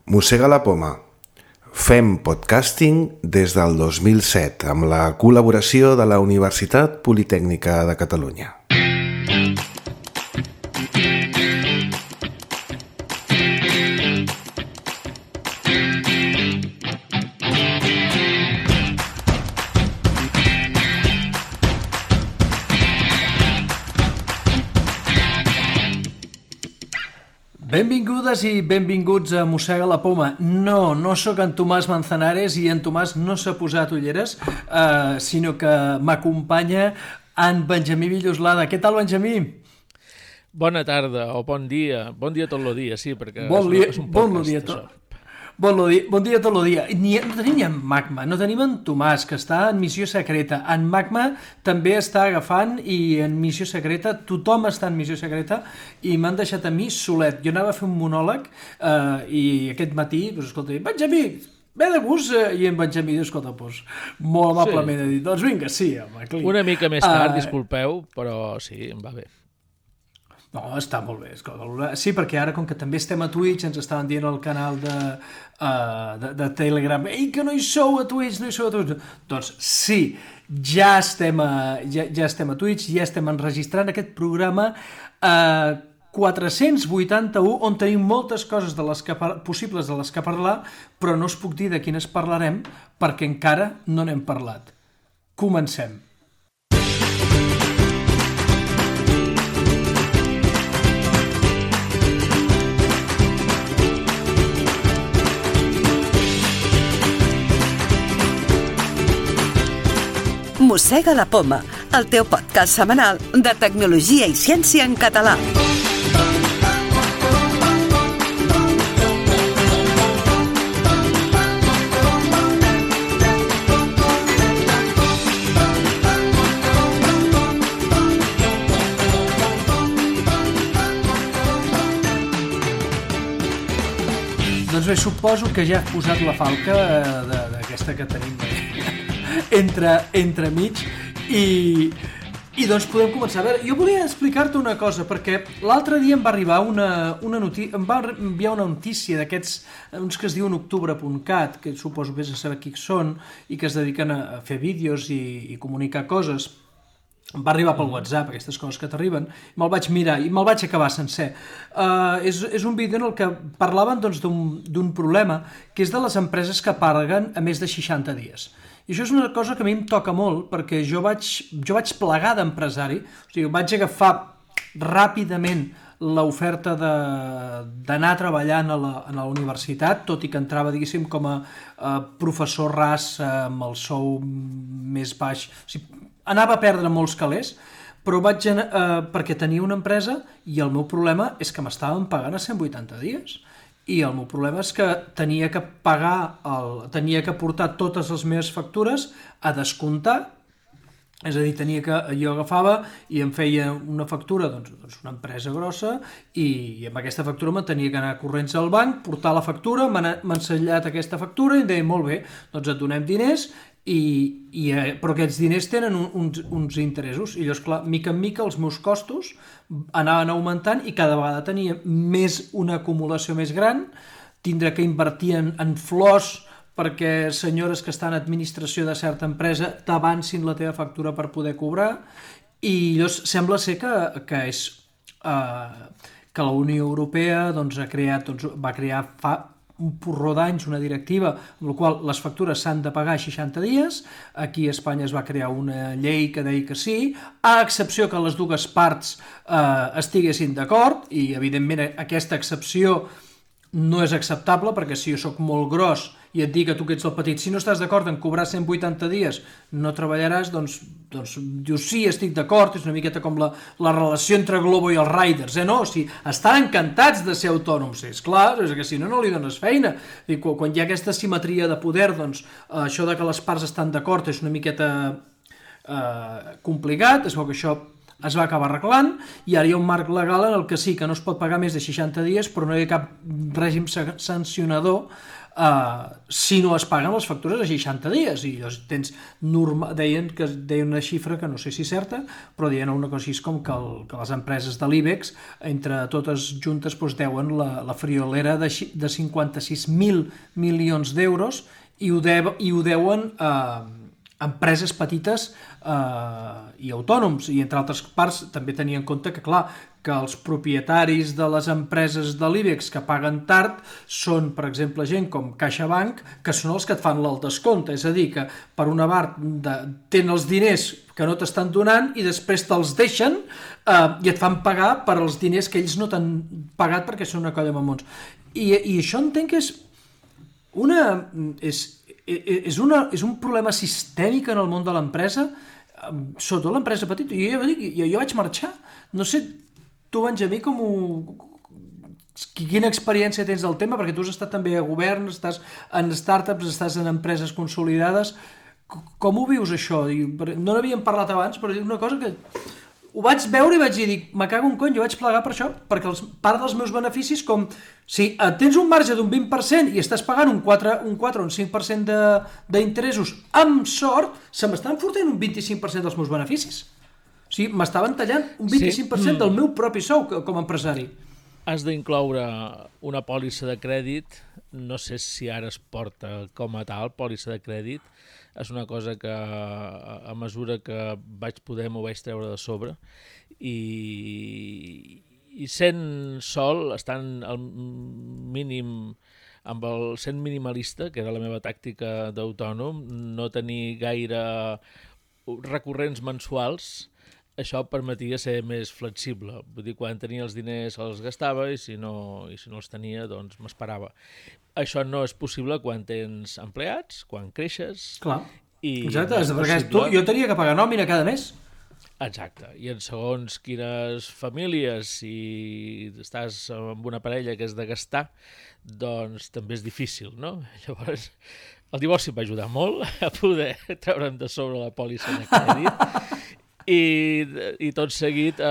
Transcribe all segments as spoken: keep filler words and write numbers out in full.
Mossega la poma. Fem podcasting des del dos mil set amb la col·laboració de la Universitat Politècnica de Catalunya. Benvingudes i benvinguts a Mossega la poma. No, no sóc en Tomàs Manzanares i en Tomàs no s'ha posat ulleres, eh, sinó que m'acompanya en Benjamí Villoslada. Què tal, Benjamí? Bona tarda o bon dia. Bon dia tot el dia, sí, perquè bon és, dia, és un bon podcast, dia tot. això. Bon dia, bon dia tot el dia. Ni, no tenim ni en Magma, no tenim en Tomàs, que està en missió secreta. En Magma també està agafant i en missió secreta, tothom està en missió secreta i m'han deixat a mi solet. Jo anava a fer un monòleg eh, i aquest matí, doncs, escolta, Benjamí, ve de gust, eh, i en Benjamí diu, escolta, doncs, molt amablement sí. Ha dit, doncs vinga, sí, home, clic. Una mica més tard, uh, disculpeu, però sí, em va bé. No, està molt bé. Escolta. Sí, perquè ara, com que també estem a Twitch, ens estaven dient al canal de, uh, de, de Telegram, ei, que no hi sou a Twitch, no hi sou a Twitch. Doncs sí, ja estem a, ja, ja estem a Twitch, ja estem enregistrant aquest programa uh, quatre-cents vuitanta-u, on tenim moltes coses de les que, possibles de les que parlar, però no us puc dir de quines parlarem, perquè encara no n'hem parlat. Comencem. Mossega la poma, el teu podcast setmanal de tecnologia i ciència en català. Doncs bé, suposo que ja has posat la falca eh, d'aquesta que tenim entre, entre mig i, i doncs podem començar. A veure, jo volia explicar-te una cosa, perquè l'altre dia em va arribar una, una notícia, em va enviar una notícia d'aquests, uns que es diuen octubre punt cat, que suposo vés a saber qui són i que es dediquen a fer vídeos i, i comunicar coses. Em va arribar pel WhatsApp, aquestes coses que t'arriben, me'l vaig mirar i me'l vaig acabar sencer. Uh, és, és un vídeo en el que parlaven doncs, d'un problema, que és de les empreses que paguen a més de seixanta dies. I això és una cosa que a mi em toca molt, perquè jo vaig, jo vaig plegar d'empresari, o sigui, vaig agafar ràpidament l'oferta d'anar treballant a la, a la universitat, tot i que entrava, diguéssim, com a uh, professor ras uh, amb el sou més baix. O sigui, anava a perdre molts calés, però vaig anar, uh, perquè tenia una empresa i el meu problema és que m'estaven pagant a cent vuitanta dies. I el meu problema és que tenia que pagar, el, tenia que portar totes les meves factures a descomptar, és a dir, tenia que, jo agafava i em feia una factura, doncs, doncs una empresa grossa, i, i amb aquesta factura me tenia que anar corrents al banc, portar la factura, m'ha ensenyat aquesta factura i em deia, molt bé, doncs et donem diners, i, i, però aquests diners tenen un, uns, uns interessos, i llavors, clar, mica en mica els meus costos anaven augmentant i cada vegada tenia més una acumulació més gran, tindré que invertir en, en flors perquè senyores que estan en administració de certa empresa t'avancin la teva factura per poder cobrar, i llavors sembla ser que, que és uh, que la Unió Europea doncs, ha creat, doncs, va crear fa un porró d'anys una directiva amb la qual les factures s'han de pagar seixanta dies. Aquí a Espanya es va crear una llei que deia que sí, a excepció que les dues parts eh, estiguessin d'acord, i evidentment aquesta excepció no és acceptable, perquè si jo sóc molt gros i et dic que tu que ets el petit, si no estàs d'acord en cobrar cent vuitanta dies no treballaràs, doncs, doncs dius sí, estic d'acord, és una miqueta com la, la relació entre Globo i els Riders, eh? No, o sigui, estan encantats de ser autònoms, és clar, és que si no, no li dones feina. I quan, quan hi ha aquesta simetria de poder, doncs això de que les parts estan d'acord és una miqueta eh, complicat, es veu que això es va acabar arreglant i ara hi ha un marc legal en el que sí, que no es pot pagar més de seixanta dies, però no hi ha cap règim sancionador uh, si no es paguen les factures a seixanta dies. I llavors tens norma... deien, que, deien una xifra que no sé si és certa, però deien una cosa així com que, el, que les empreses de l'IBEX, entre totes juntes, doncs, deuen la, la friolera de, de cinquanta-sis mil milions d'euros i ho, de, i ho deuen a uh, empreses petites eh, i autònoms, i entre altres parts també tenia en compte que, clar, que els propietaris de les empreses de l'IBEX que paguen tard són, per exemple, gent com CaixaBank, que són els que et fan el descompte, és a dir, que per una part de, tenen els diners que no t'estan donant i després te'ls deixen eh, i et fan pagar per als diners que ells no t'han pagat perquè són una colla de mamons. I, i això entenc que és una... és És, una, és un problema sistèmic en el món de l'empresa, sobretot l'empresa petita. Jo ja dic, jo, jo vaig marxar. No sé, tu, Benjamí, com ho... quina experiència tens del tema, perquè tu has estat també a govern, estàs en startups, estàs en empreses consolidades. Com ho vius, això? No n'havíem parlat abans, però és una cosa que... Ho vaig veure i vaig dir, me cago un cony, jo vaig plegar per això, perquè els, part dels meus beneficis, com si tens un marge d'un vint per cent i estàs pagant un quatre, un quatre o un cinc per cent d'interessos amb sort, se m'estan fotent un vint-i-cinc per cent dels meus beneficis. O sigui, m'estaven tallant un vint-i-cinc per cent sí. del meu propi sou com a empresari. Has d'incloure una pòlissa de crèdit, no sé si ara es porta com a tal, pòlissa de crèdit, és una cosa que a mesura que vaig poder m'ho vaig treure de sobre i, i sent sol, estant al mínim, amb el sent minimalista, que era la meva tàctica d'autònom, no tenir gaire recurrents mensuals, això permetia ser més flexible. Vull dir, quan tenia els diners els gastava i si no, i si no els tenia, doncs m'esperava. Això no és possible quan tens empleats, quan creixes... Clar, i exacte, no perquè tu, jo tenia que pagar nòmina cada mes. Exacte, i en segons quines famílies, si estàs amb una parella que és de gastar, doncs també és difícil, no? Llavors, el divorci em va ajudar molt a poder treure'm de sobre la pòlissa de crèdit. I, i tot seguit eh,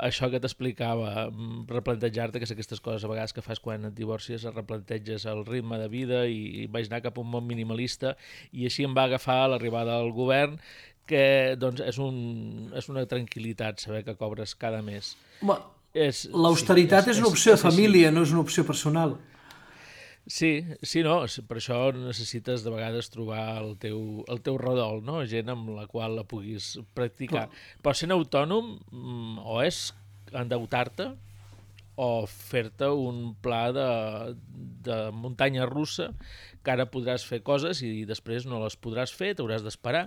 això que t'explicava, replantejar-te, que és aquestes coses a vegades que fas quan et divorcies, replanteges el ritme de vida i, i vaig anar cap a un món minimalista i així em va agafar l'arribada al govern, que doncs, és, un, és una tranquil·litat saber que cobres cada mes. L'austeritat sí, és, és una opció de família, no és una opció personal. Sí, sí, no, per això necessites de vegades trobar el teu, el teu redol, no? Gent amb la qual la puguis practicar. Però, Però sent autònom o és endeutar-te o fer-te un pla de, de muntanya russa que ara podràs fer coses i després no les podràs fer, t'hauràs d'esperar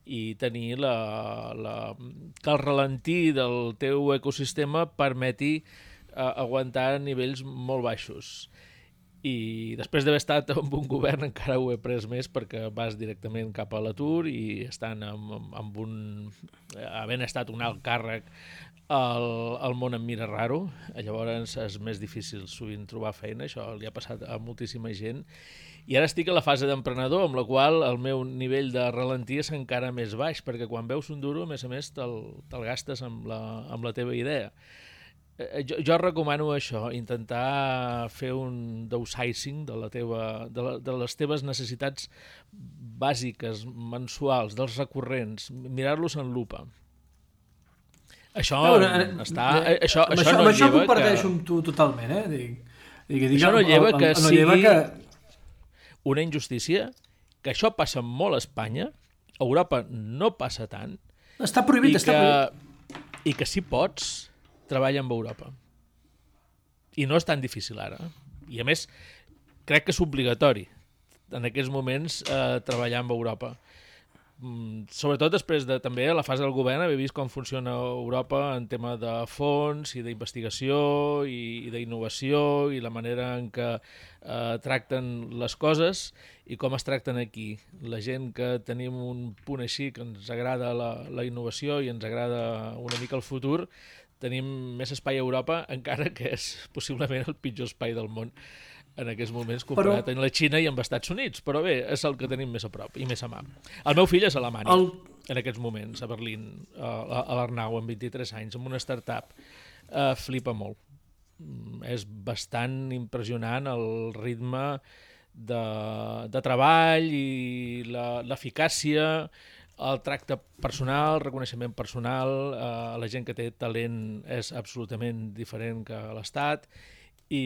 i tenir la, la, que el ralentí del teu ecosistema permeti eh, aguantar nivells molt baixos. I després d'haver estat en un govern encara ho he pres més perquè vas directament cap a l'atur i estant amb, amb un... havent estat un alt càrrec el, el món em mira raro, llavors és més difícil sovint trobar feina, això li ha passat a moltíssima gent i ara estic a la fase d'emprenedor amb la qual el meu nivell de ralentí és encara més baix perquè quan veus un duro a més a més te'l, te'l gastes amb la, amb la teva idea. Jo, jo recomano això, intentar fer un downsizing de, la teva, de, la, de les teves necessitats bàsiques, mensuals, dels recurrents, mirar-los en lupa. Això no, no, està... Eh, això, això, això no això lleva comparteixo que... amb tu totalment, eh? Dic, dic, dic, això no lleva que no sigui lleva que... una injustícia, que això passa molt a Espanya, a Europa no passa tant, està prohibit, i està que, prohibit. I que si pots... treballa amb Europa. I no és tan difícil ara. I a més, crec que és obligatori en aquests moments eh, treballar amb Europa. Mm, sobretot després de també a la fase del govern haver vist com funciona Europa en tema de fons i d'investigació i, i d'innovació i la manera en què eh, tracten les coses i com es tracten aquí. La gent que tenim un punt així que ens agrada la, la innovació i ens agrada una mica el futur, tenim més espai a Europa, encara que és possiblement el pitjor espai del món. en aquests moments comparat però... amb la Xina i amb els Estats Units, però bé, és el que tenim més a prop i més a mà. El meu fill és a Alemanya, el... en aquests moments, a Berlín, a l'Arnau, amb vint-i-tres anys, amb una startup. Uh, flipa molt. És bastant impressionant el ritme de, de treball i l'eficàcia, el tracte personal, el reconeixement personal, uh, la gent que té talent és absolutament diferent que l'Estat, i,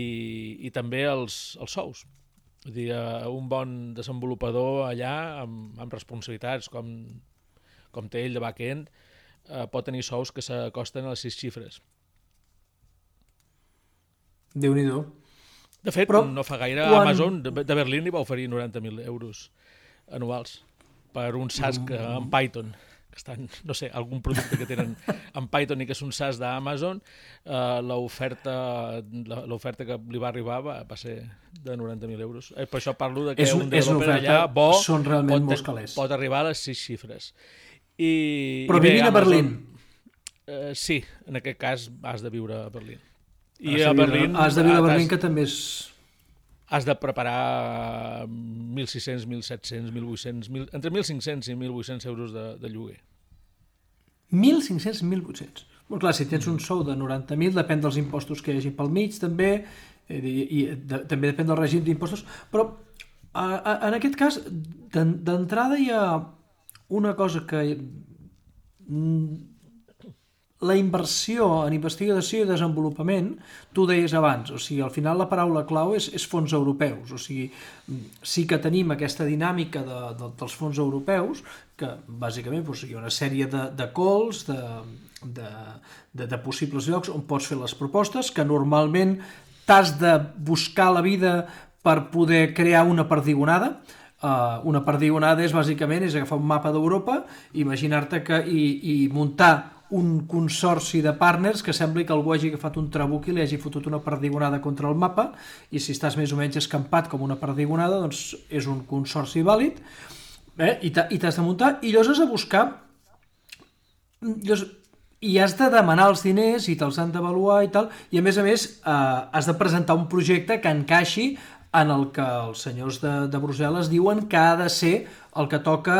i també els, els sous. Vull dir, un bon desenvolupador allà, amb, amb responsabilitats com, com té ell de back-end, eh, pot tenir sous que s'acosten a les sis xifres. Déu-n'hi-do. De fet, Però, no fa gaire quan... Amazon de, de Berlín li va oferir noranta mil euros anuals per un SaaS que, en Python, que estan, no sé, algun producte que tenen en Python i que és un SaaS d'Amazon, eh, l'oferta l'oferta que li va arribar va, va ser de noranta mil euros. Eh, per això parlo de que és, un developer allà bo són realment pot, pot arribar a les sis xifres. I, Però i bé, vivint a Berlín. Eh, sí, en aquest cas has de viure a Berlín. I has a Berlín... Has de viure a Berlín, que també és... Has de preparar mil sis-cents, mil set-cents, mil vuit-cents, entre mil cinc-cents i mil vuit-cents euros de, de lloguer. mil cinc-cents i mil vuit-cents. Molt clar, si tens un sou de noranta mil, depèn dels impostos que hi hagi pel mig, també, i, i de, també depèn del règim d'impostos, però a, a, en aquest cas, d'entrada hi ha una cosa que... La inversió en investigació i desenvolupament, tu deies abans, o sigui, al final la paraula clau és, és fons europeus, o sigui, sí que tenim aquesta dinàmica de, de, dels fons europeus, que bàsicament doncs, hi ha una sèrie de, de calls, de, de, de, de possibles llocs on pots fer les propostes, que normalment t'has de buscar la vida per poder crear una perdigonada. Uh, una perdigonada és bàsicament és agafar un mapa d'Europa, imaginar-te que i, i muntar un consorci de partners que sembli que algú hagi agafat un trabuc i li hagi fotut una perdigonada contra el mapa, i si estàs més o menys escampat com una perdigonada, doncs és un consorci vàlid, eh? I t'has de muntar, i llavors has de buscar, llavors, i has de demanar els diners i te'ls han d'avaluar i tal, i a més a més eh, has de presentar un projecte que encaixi en el que els senyors de, de Brussel·les diuen que ha de ser el que toca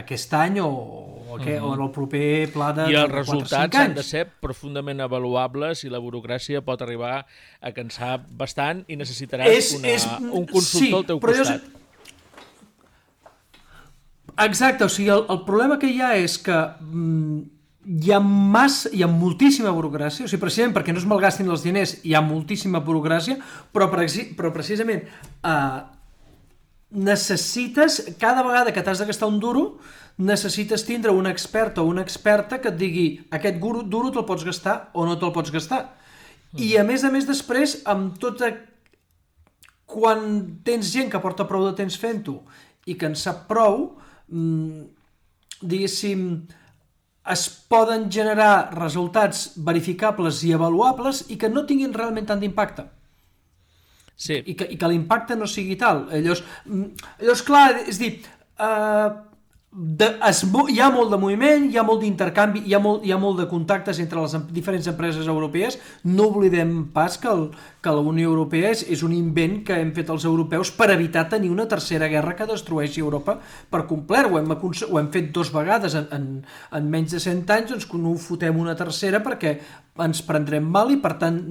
aquest any o, o, que, uh-huh. o en el proper pla de, I els de resultats han de ser profundament avaluables i la burocràcia pot arribar a cansar bastant i necessitaràs és, una, és, un consultor sí, al teu costat. Exacte, o sigui, el, el problema que hi ha és que mm, hi ha massa, hi ha moltíssima burocràcia, o sigui, precisament perquè no es malgastin els diners hi ha moltíssima burocràcia, però, però precisament eh, necessites, cada vegada que t'has de gastar un duro, necessites tindre un expert o una experta que et digui aquest duro te'l pots gastar o no te'l pots gastar. Mm. I a més a més després, amb tota... quan tens gent que porta prou de temps fent-ho i que en sap prou, mmm, diguéssim, es poden generar resultats verificables i avaluables i que no tinguin realment tant d'impacte. Sí. I que, i que l'impacte no sigui tal. Llavors, llavors clar, és dir, eh, de, es, hi ha molt de moviment, hi ha molt d'intercanvi, hi ha molt, hi ha molt de contactes entre les diferents empreses europees. No oblidem pas que, el, que la Unió Europea és, és un invent que hem fet els europeus per evitar tenir una tercera guerra que destrueixi Europa per complet. Ho hem, ho hem fet dos vegades en, en, en menys de cent anys, doncs no ho fotem una tercera perquè ens prendrem mal i per tant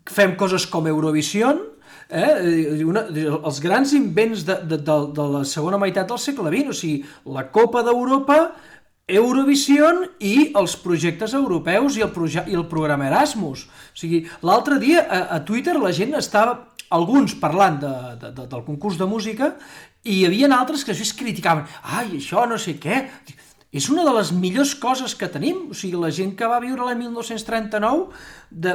fem coses com Eurovision, Eh, una, els grans invents de, de, de, de la segona meitat del segle vint, o sigui, la Copa d'Europa, Eurovision i els projectes europeus i el, proje i el programa Erasmus. O sigui, l'altre dia a, a Twitter la gent estava, alguns parlant de, de, de, del concurs de música, i hi havia altres que es criticaven, ai, això no sé què... És una de les millors coses que tenim, o sigui, la gent que va viure l'any mil nou-cents trenta-nou, de,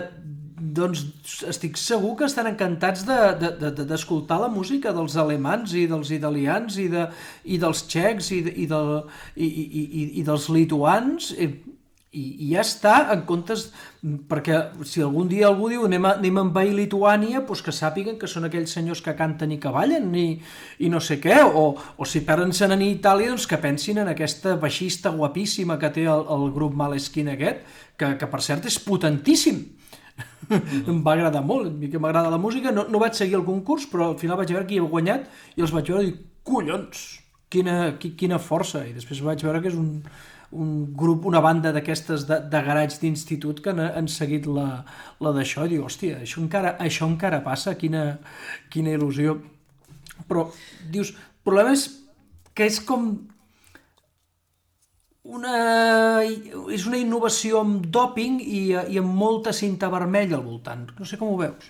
doncs estic segur que estan encantats d'escoltar de, de, de, la música dels alemans i dels italians i, de, i dels txecs i, de, i, de, i, i, i, i dels lituans, i, i ja està, en comptes, perquè si algun dia algú diu anem a, anem a envair Lituània, doncs que sàpiguen que són aquells senyors que canten i que ballen i, i no sé què, o, o si perden-se'n a Itàlia, doncs que pensin en aquesta baixista guapíssima que té el, el grup Måneskin aquest, que, que per cert és potentíssim. Mm-hmm. Em va agradar molt, a mi que m'agrada la música, no, no vaig seguir el concurs, però al final vaig veure qui havia guanyat i els vaig veure i dic, collons, quina, quina força, i després vaig veure que és un, un grup, una banda d'aquestes de, de garatge d'institut que han, han seguit la, la d'això, i dic, hòstia, això encara, això encara passa, quina, quina il·lusió. Però, dius, el problema és que és com una, és una innovació amb dòping i, i amb molta cinta vermella al voltant. No sé com ho veus.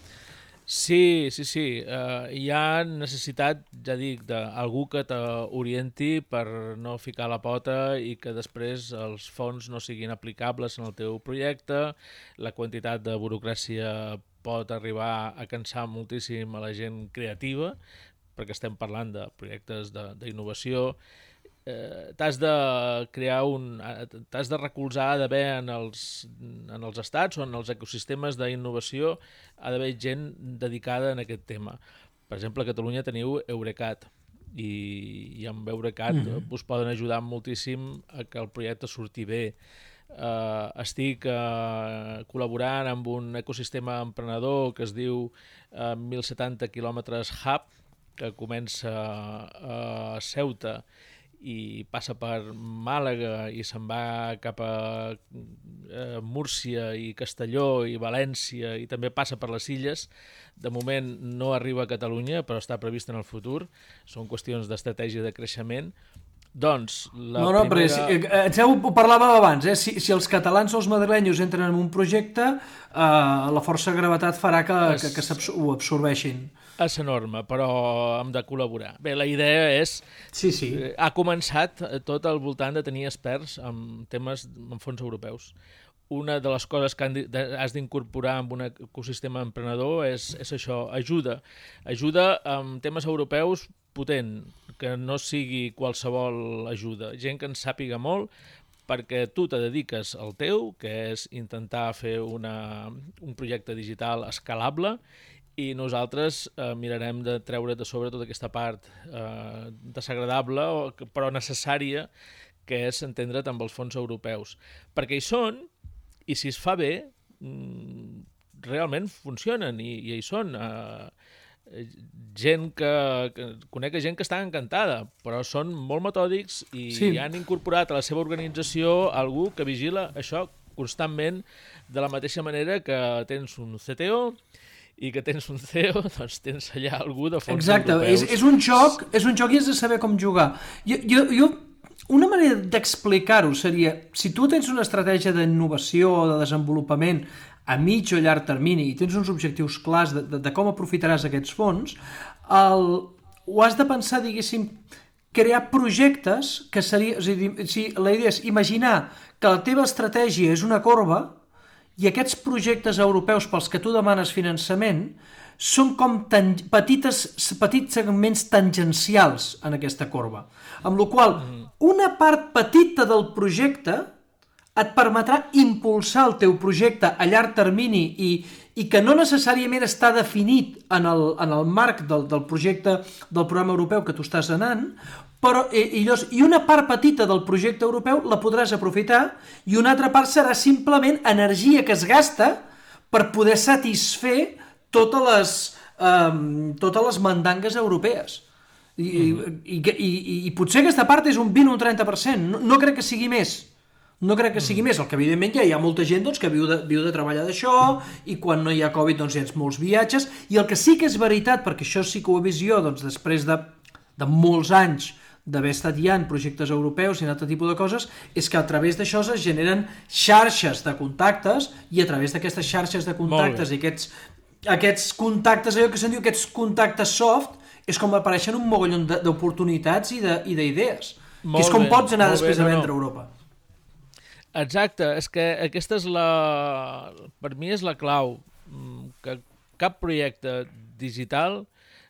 Sí, sí, sí. Uh, hi ha necessitat, ja dic, d'algú que t'orienti per no ficar la pota i que després els fons no siguin aplicables en el teu projecte. La quantitat de burocràcia pot arribar a cansar moltíssim a la gent creativa, perquè estem parlant de projectes d'innovació. Eh, t'has de crear un... t'has de recolzar, d'haver en els, en els estats o en els ecosistemes d'innovació ha d'haver gent dedicada en aquest tema. Per exemple, a Catalunya teniu Eurecat i, i amb Eurecat mm-hmm. us poden ajudar moltíssim a que el projecte surti bé. Uh, estic uh, col·laborant amb un ecosistema emprenedor que es diu uh, mil setanta quilòmetres Hub, que comença a Ceuta i passa per Màlaga i se'n va cap a eh, Múrcia i Castelló i València i també passa per les Illes. De moment no arriba a Catalunya, però està previst en el futur. Són qüestions d'estratègia de creixement. Doncs, la no, no, primera... però si, eh, ho parlàvem abans, eh? si, si els catalans o els madrilenyos entren en un projecte, eh, la força de gravetat farà que, es... que, que ho absorbeixin. És enorme, però hem de col·laborar. Bé, la idea és... Sí, sí. Eh, ha començat tot al voltant de tenir experts en temes en fons europeus. Una de les coses que has d'incorporar en un ecosistema emprenedor és, és això, ajuda. Ajuda en temes europeus potent, que no sigui qualsevol ajuda. Gent que en sàpiga molt, perquè tu te dediques al teu, que és intentar fer una, un projecte digital escalable, i nosaltres eh, mirarem de treure de sobre tota aquesta part eh, desagradable però necessària, que és entendre't amb els fons europeus. Perquè hi són, i si es fa bé, mm, realment funcionen, i, i hi són. Eh, gent que, que... Conec gent que està encantada, però són molt metòdics i sí. han incorporat a la seva organització algú que vigila això constantment, de la mateixa manera que tens un C T O i que tens un C E O, doncs tens allà algú de fons Exacte, europeus. És, és un joc, és un joc i has de saber com jugar. Jo, jo, jo una manera d'explicar-ho seria, si tu tens una estratègia d'innovació o de desenvolupament a mig o llarg termini i tens uns objectius clars de, de, de com aprofitaràs aquests fons, el, ho has de pensar, diguéssim, crear projectes que seria... És a dir, si la idea és imaginar que la teva estratègia és una corba i aquests projectes europeus pels que tu demanes finançament són com tan, petites, petits segments tangencials en aquesta corba. Amb la qual cosa, una part petita del projecte et permetrà impulsar el teu projecte a llarg termini i, i que no necessàriament està definit en el, en el marc del, del projecte del programa europeu que tu estàs anant, però i, i, llavors, i una part petita del projecte europeu la podràs aprofitar i una altra part serà simplement energia que es gasta per poder satisfer totes les, um, totes les mandangues europees. I, mm. i, i, i, i potser aquesta part és un vint o un trenta per cent, no, no crec que sigui més. No crec que sigui mm. més, el que evidentment ja hi ha molta gent doncs, que viu de, viu de treballar d'això i quan no hi ha Covid doncs hi ha molts viatges, i el que sí que és veritat, perquè això sí que ho he vist jo doncs, després de, de molts anys d'haver estat ja en projectes europeus i en altre tipus de coses, és que a través d'això es generen xarxes de contactes i a través d'aquestes xarxes de contactes i aquests, aquests contactes, allò que se'n diu aquests contactes soft, és com apareixen un mogollon d'oportunitats i d'idees, que és com bé, pots anar després bé, no, a vendre a Europa. Exacte, és que aquesta és la... per mi és la clau, que cap projecte digital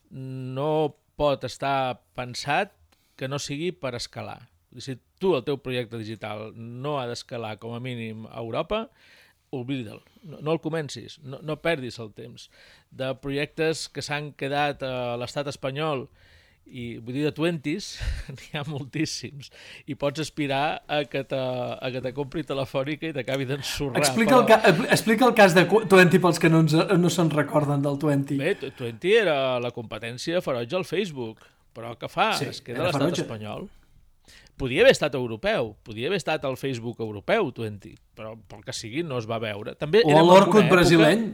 no pot estar pensat que no sigui per escalar. Si tu, el teu projecte digital, no ha d'escalar com a mínim a Europa, oblida'l, no, no el comencis, no, no perdis el temps. De projectes que s'han quedat a l'estat espanyol I vull dir, de twenties n'hi ha moltíssims. I pots aspirar a que te, a que te compri Telefònica i t'acabi d'ensorrar. Explica, però... el ca... Explica el cas de twenty pels que no, ens, no se'n recorden del twenty. Bé, twenty era la competència ferotge al Facebook, però què fa? Sí, es queda l'estat ferotge. espanyol. Podia haver estat europeu, podia haver estat el Facebook europeu, twenty, però pel que sigui no es va veure. També O l'Orkut època... brasileny.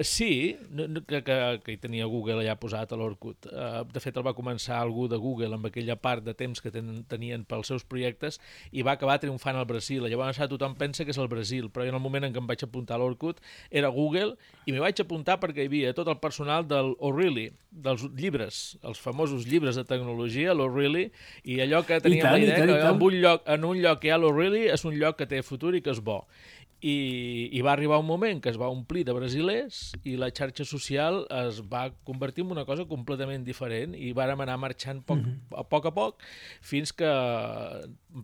Sí, que, que, que hi tenia Google allà posat a l'Orkut. Uh, de fet, el va començar algú de Google amb aquella part de temps que ten, tenien pels seus projectes i va acabar triomfant al Brasil. Llavors ara tothom pensa que és el Brasil, però en el moment en què em vaig apuntar a l'Orkut era Google i m'hi vaig apuntar perquè hi havia tot el personal del O'Reilly, dels llibres, els famosos llibres de tecnologia, l'O'Reilly, i allò que teníem tant, la idea tant, que tant. en un, lloc, en un lloc que hi ha l'O'Reilly és un lloc que té futur i que és bo. I, i va arribar un moment que es va omplir de brasilers i la xarxa social es va convertir en una cosa completament diferent i vàrem anar marxant poc, mm-hmm. a poc a poc fins que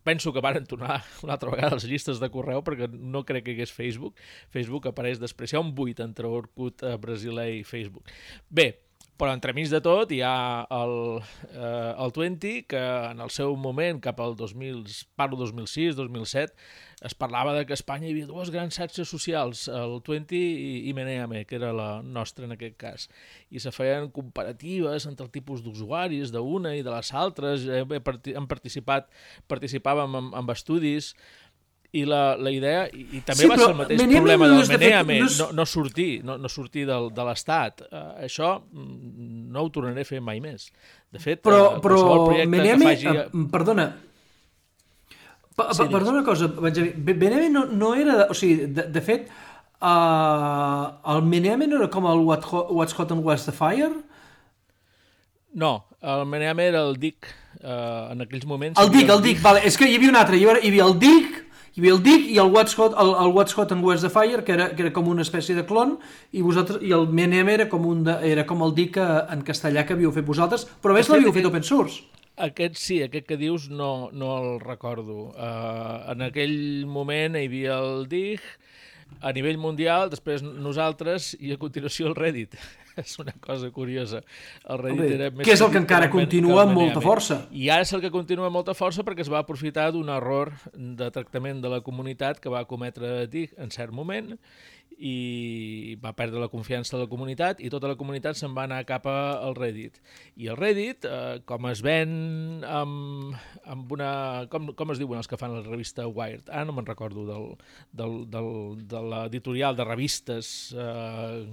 penso que varen tornar una altra vegada a les llistes de correu perquè no crec que hi hagués Facebook. Facebook apareix després, hi ha un buit entre Orkut, eh, brasiler i Facebook. Bé, però entremig de tot hi ha el, eh, el twenty, que en el seu moment, cap al dos mil, parlo dos mil sis, dos mil set, es parlava de que a Espanya hi havia dues grans xarxes socials, el twenty i, i Meneame, que era la nostra en aquest cas. I se feien comparatives entre el tipus d'usuaris d'una i de les altres, hem participat, participàvem en, en estudis, i la, la idea, i, i també sí, va ser el mateix Meneame problema del Meneame, no, no, no sortir, no, no sortir del, de l'Estat. Uh, això no ho tornaré a fer mai més. De fet, però, uh, però Meneame, que faci... uh, perdona, pa, sí, perdona una cosa, Meneame no, no era, o sigui, de, de fet, uh, el Meneame no era com el What, What's Hot and What's the Fire? No, el Meneame era el D I C, uh, en aquells moments... El D I C, el D I C, vale, és que hi havia un altre, hi havia, hi havia el D I C, hi havia el D I C i el What's Hot, el, el What's Hot and Where's the Fire, que era, que era com una espècie de clon, i vosaltres i el Meneame era com, un de, era com el D I C en castellà que havíeu fet vosaltres, però a més l'havíeu fet open source. Aquest sí, aquest que dius no, no el recordo. Uh, en aquell moment hi havia el D I C, a nivell mundial, després nosaltres i a continuació el Reddit. És una cosa curiosa. El Reddit Home, era més que és el que encara continua amb molta força. I ara és el que continua amb molta força perquè es va aprofitar d'un error de tractament de la comunitat que va cometre D I C en cert moment i va perdre la confiança de la comunitat i tota la comunitat se'n va anar cap al Reddit. I el Reddit, eh, com es ven amb, amb una... Com, com es diuen els que fan la revista Wired? Ah, no me'n recordo del, del, del, de l'editorial de revistes eh,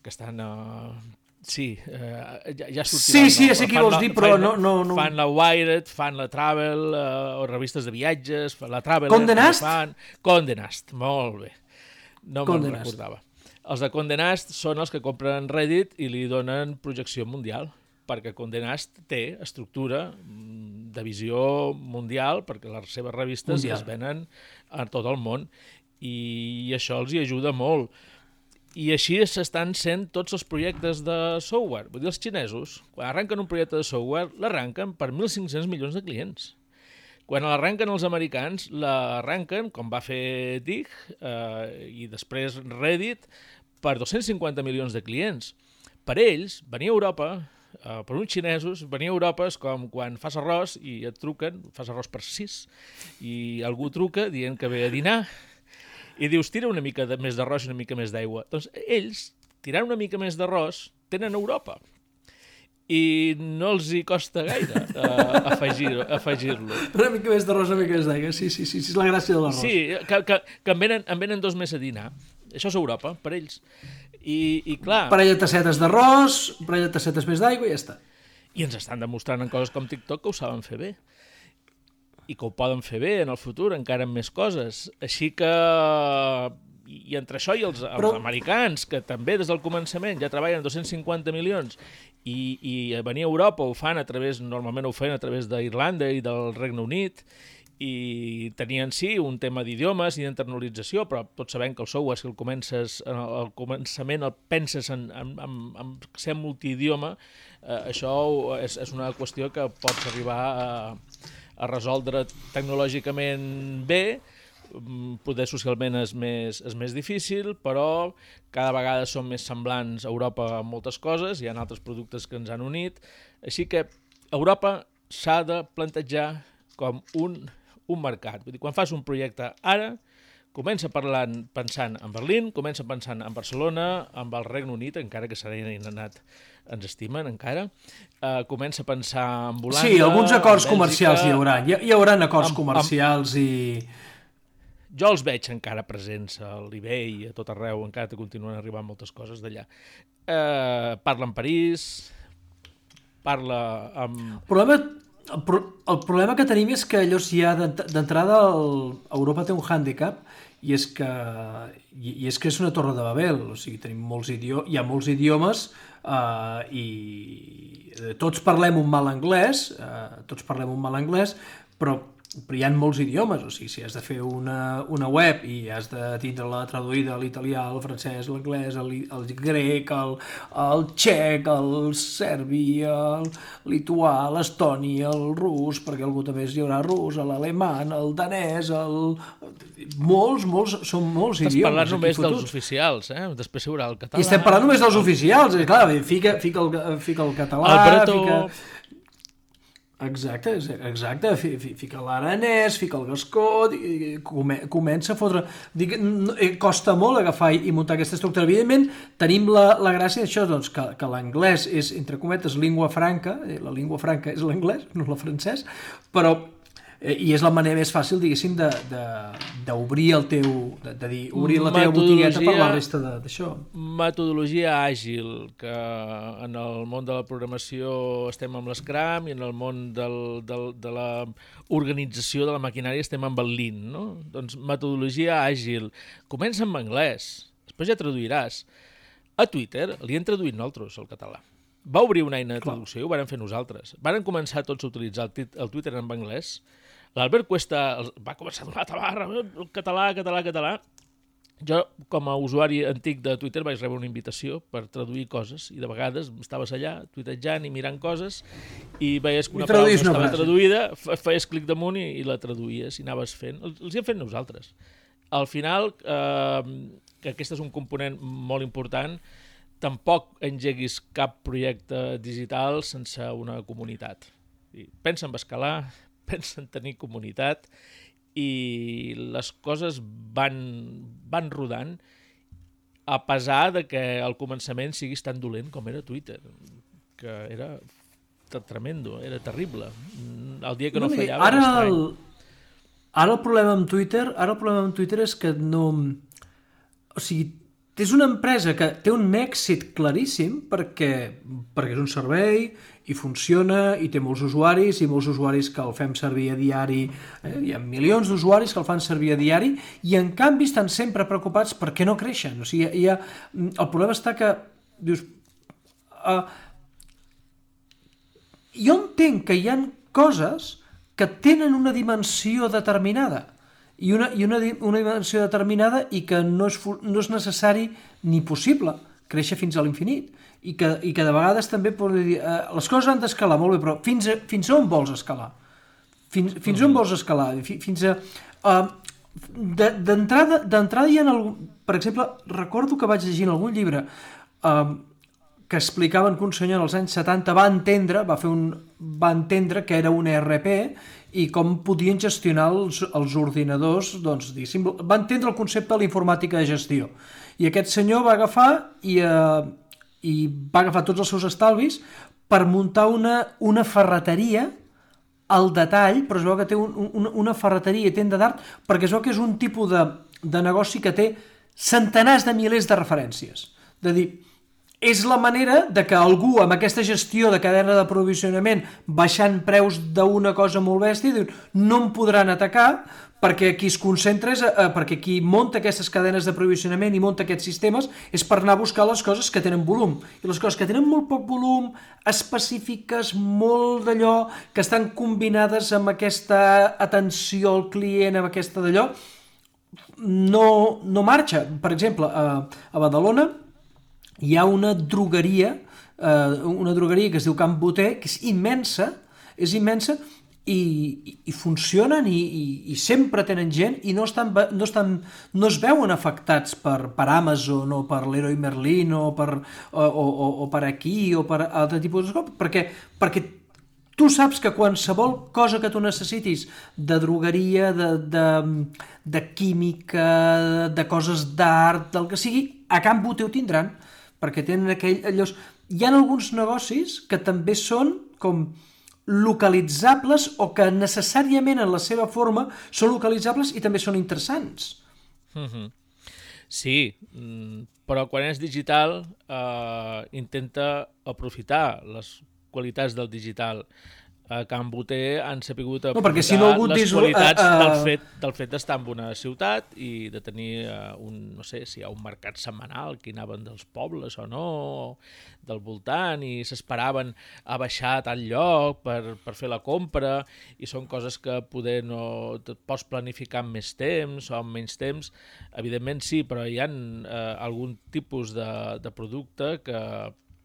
que estan... Eh, sí, eh, ja, ja sortirà. Sí, sí, ja sé qui vols dir, però no, no, no... Fan la Wired, fan la Travel, eh, o revistes de viatges, la Travel... Condé Nast? Fan... Condé Nast, molt bé. No me'n recordava. Els de Condé Nast són els que compren Reddit i li donen projecció mundial, perquè Condé Nast té estructura de visió mundial, perquè les seves revistes mundial. Es venen a tot el món, i això els hi ajuda molt. I així s'estan sent tots els projectes de software. Vull dir, els xinesos, quan arrenquen un projecte de software, l'arrenquen per mil cinc-cents milions de clients. Quan l'arrenquen els americans, l'arrenquen, com va fer D I C eh, i després Reddit, per dos-cents cinquanta milions de clients. Per ells, venir a Europa, eh, per uns xinesos, venir a Europa és com quan fas arròs i et truquen, fas arròs per sis, i algú truca dient que ve a dinar, i dius, tira una mica de, més d'arròs i una mica més d'aigua. Doncs ells, tirant una mica més d'arròs, tenen Europa. I no els hi costa gaire uh, afegir-lo. Afegir una mica més d'arròs, una mica més d'aigua. Sí, sí, sí, sí, és la gràcia de l'arròs. Sí, que, que, que en, venen, en venen dos més a dinar. Això és Europa, per ells. I, i clar... Parella de tassetes d'arròs, parella de tassetes més d'aigua i ja està. I ens estan demostrant en coses com TikTok que ho saben fer bé. I que ho poden fer bé en el futur, encara amb més coses. Així que... I entre això i els, els Però... americans, que també des del començament ja treballen dos-cents cinquanta milions, i, i venir a Europa ho fan a través, normalment ho fan a través d'Irlanda i del Regne Unit, i tenien sí un tema d'idiomes i d'internalització, però tots sabem que el software, si el comences, al començament el penses en, en, en, en ser multidioma, eh, això és, és una qüestió que pots arribar a, a resoldre tecnològicament bé, poder socialment és més, és més difícil, però cada vegada som més semblants a Europa en moltes coses, hi ha altres productes que ens han unit, així que Europa s'ha de plantejar com un, un mercat. Vull dir, quan fas un projecte ara, comença parlant, pensant en Berlín, comença pensant en Barcelona, amb el Regne Unit, encara que s'han anat, ens estimen encara, uh, comença a pensar en Holanda... Sí, alguns acords comercials hi haurà. Hi, hi haurà acords amb, comercials amb... i... Jo els veig encara presents a l'eBay i a tot arreu, encara que continuen arribant moltes coses d'allà. Uh, parla amb París, parla amb... El problema, el, pro, el problema que tenim és que allò ja d'entrada Europa té un hàndicap i és que i, i és que és una torre de Babel, o sigui, tenim molts idiomes, hi ha molts idiomes uh, i tots parlem un mal anglès, uh, tots parlem un mal anglès, però però hi ha molts idiomes, o sigui, si has de fer una, una web i has de tindre-la traduïda a l'italià, al francès, a l'anglès, al, al grec, al, al txec, al serbi, al lituà, a l'estoni, al rus, perquè algú també hi haurà rus, a l'alemany, al danès, al... molts, molts, són molts Estàs idiomes. Estàs parlant només dels oficials, eh? Després hi haurà el català... I estem parlant només dels oficials, eh? Clar, fica, fica, el, fica el català, el bretó... fica... Exacte, exacte, fica l'aranès, fica el gascó, comença a fotre... Dic, costa molt agafar i muntar aquesta estructura. Evidentment, tenim la, la gràcia d'això, doncs, que, que l'anglès és, entre cometes, língua franca, la língua franca és l'anglès, no el francès, però... i és la manera més fàcil, diguéssim, d'obrir el teu... de, de dir, obrir la teva botigueta per la resta d'això. Metodologia àgil, que en el món de la programació estem amb l'Scrum i en el món del, del, de la organització de la maquinària estem amb el Lean, no? Doncs metodologia àgil. Comença amb anglès, després ja traduiràs. A Twitter li hem traduït nosaltres, el català. Va obrir una eina de traducció i ho vàrem fer nosaltres. Varen començar tots a utilitzar el, el Twitter en anglès. L'Albert Cuesta va començar a donar tabarra, català, català, català. Jo, com a usuari antic de Twitter, vaig rebre una invitació per traduir coses i de vegades estaves allà tuitejant i mirant coses i veies que una paraula no estava traduïda, feies clic damunt i, i la traduïes i anaves fent. Els hi hem fet nosaltres. Al final, eh, que aquest és un component molt important, tampoc engeguis cap projecte digital sense una comunitat. Pensa en escalar, pensa en tenir comunitat i les coses van, van rodant a pesar de que al començament siguis tan dolent com era Twitter, que era tremendo, era terrible. El dia que no, no fallava ara era estrany. El, ara el problema amb Twitter, ara el problema amb Twitter és que no... O sigui, és una empresa que té un èxit claríssim perquè, perquè és un servei i funciona i té molts usuaris i molts usuaris que el fem servir a diari, eh? Hi ha milions d'usuaris que el fan servir a diari i en canvi estan sempre preocupats perquè no creixen. O sigui, hi ha... el problema està que dius, uh, jo entenc que hi ha coses que tenen una dimensió determinada i una, i una, una dimensió determinada i que no és, no és necessari ni possible créixer fins a l'infinit i que, i que de vegades també dir, eh, les coses han d'escalar molt bé, però fins a, fins a on vols escalar? Fins, fins mm. on vols escalar? Fins a... Uh, d'entrada, d'entrada hi ha algun... Per exemple, recordo que vaig llegir en algun llibre uh, que explicaven que un senyor als anys setanta va entendre, va, fer un, va entendre que era un E R P i com podien gestionar els, els ordinadors, doncs, diguéssim, va entendre el concepte de la informàtica de gestió. I aquest senyor va agafar i, eh, i va agafar tots els seus estalvis per muntar una, una ferreteria al detall, però es veu que té un, un, una ferreteria i tenda d'art, perquè es veu que és un tipus de, de negoci que té centenars de milers de referències. De dir, és la manera de que algú amb aquesta gestió de cadena d'aprovisionament baixant preus d'una cosa molt bèstia diu, no em podran atacar perquè qui es concentra és, eh, perquè qui munta aquestes cadenes d'aprovisionament i munta aquests sistemes és per anar a buscar les coses que tenen volum. I les coses que tenen molt poc volum, específiques, molt d'allò, que estan combinades amb aquesta atenció al client, amb aquesta d'allò, no, no marxa. Per exemple, a, a Badalona hi ha una drogueria, eh, una drogueria que es diu Camp Boter, que és immensa, és immensa, i, i, i funcionen i, i, i sempre tenen gent i no, estan, no, estan, no es veuen afectats per, per Amazon o per Leroy Merlin o per, o, o, o per aquí o per altre tipus de coses, perquè, perquè tu saps que qualsevol cosa que tu necessitis de drogueria, de, de, de química, de coses d'art, del que sigui, a Can Boter ho tindran, perquè tenen aquell... Allòs... Hi ha alguns negocis que també són com localitzables o que necessàriament en la seva forma són localitzables i també són interessants. Mm-hmm. Sí, però quan és digital eh, intenta aprofitar les qualitats del digital. A Can Boter han sapigut aprofitar no, perquè si no les dis, qualitats uh, uh... del fet, del fet d'estar en una ciutat i de tenir uh, un, no sé, si hi ha un mercat setmanal que hi anaven dels pobles o no, del voltant, i s'esperaven a baixar a tal lloc per, per fer la compra, i són coses que poder no et pots planificar amb més temps o amb menys temps. Evidentment sí, però hi ha uh, algun tipus de, de producte que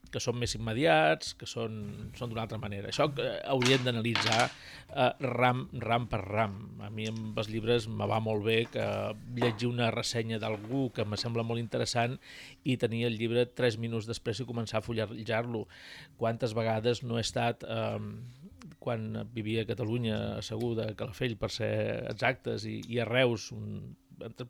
que són més immediats, que són, són d'una altra manera. Això eh, hauríem d'analitzar eh, ram, ram per ram. A mi amb els llibres me va molt bé que llegir una ressenya d'algú que me sembla molt interessant i tenir el llibre tres minuts després i començar a fullejar-lo. Quantes vegades no he estat, eh, quan vivia a Catalunya, segur de Calafell, per ser exactes, i, i a Reus, un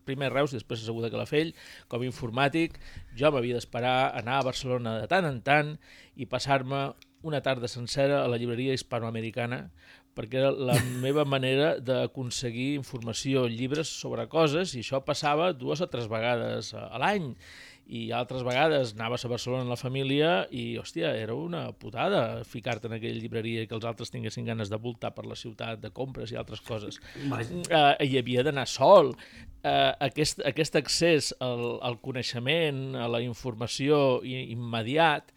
primer a Reus i després a Segur de Calafell, com a informàtic, jo m'havia d'esperar anar a Barcelona de tant en tant i passar-me una tarda sencera a la llibreria hispanoamericana, perquè era la meva manera d'aconseguir informació, llibres sobre coses, i això passava dues o tres vegades a l'any. I altres vegades anaves a Barcelona amb la família i, hòstia, era una putada ficar-te en aquella llibreria i que els altres tinguessin ganes de voltar per la ciutat, de compres i altres coses. Uh, hi havia d'anar sol. Uh, aquest, aquest accés al, al coneixement, a la informació immediat,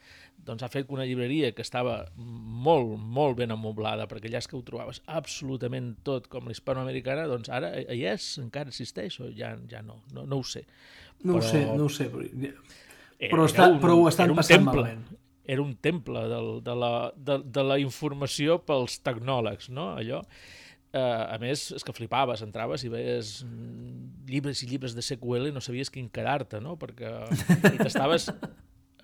doncs ha fet que una llibreria que estava molt, molt ben amoblada, perquè allà és que ho trobaves absolutament tot com l'hispanoamericana, doncs ara hi és, encara existeix, o ja, ja no, no, no ho sé. No però... ho sé, no ho sé, però, era, però, està, un, però ho estan passant temple, malament. Era un temple del, de, la, de, de la informació pels tecnòlegs, no? Allò. Uh, a més, és que flipaves, entraves i veies llibres i llibres de S Q L i no sabies quin quedar-te, no? Perquè i t'estaves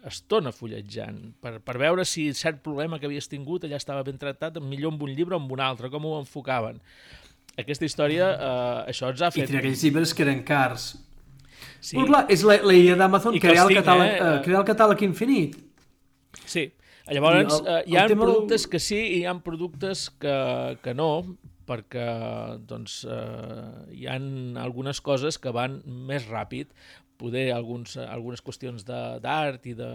estona fulletjant per, per veure si cert problema que havies tingut allà estava ben tractat, millor amb un llibre o amb un altre, com ho enfocaven. Aquesta història, uh, això ens ha fet... I tenia aquells llibres que eren cars. Sí. Però clar, és la, la idea d'Amazon crear, el catàleg, eh? uh, crear el catàleg infinit. Sí, llavors el, uh, hi ha productes del... que sí i hi ha productes que, que no, perquè doncs, uh, hi ha algunes coses que van més ràpid, poder alguns, algunes qüestions d'art i de...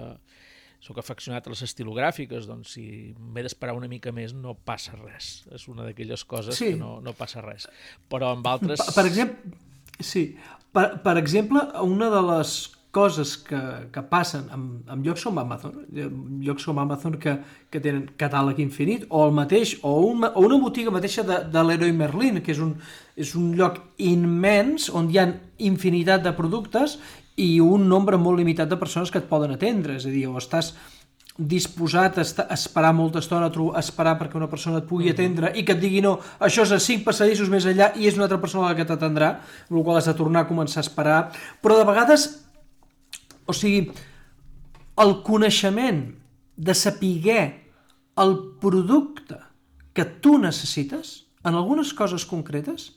Soc afeccionat a les estilogràfiques, doncs si m'he d'esperar una mica més no passa res. És una d'aquelles coses sí. que no, no passa res. Però amb altres... Per, per exemple, sí, per, per exemple, una de les coses que, que passen amb, amb llocs com Amazon, llocs com Amazon que, que tenen catàleg infinit, o el mateix, o, un, o una botiga mateixa de, de Leroy Merlin, que és un, és un lloc immens on hi ha infinitat de productes i un nombre molt limitat de persones que et poden atendre, és a dir, o estàs disposat a, estar, a esperar molta estona, a esperar perquè una persona et pugui atendre i que et digui no, això és a cinc passadissos més enllà i és una altra persona la que t'atendrà, amb la qual has de tornar a començar a esperar, però de vegades, o sigui, el coneixement de saber el producte que tu necessites en algunes coses concretes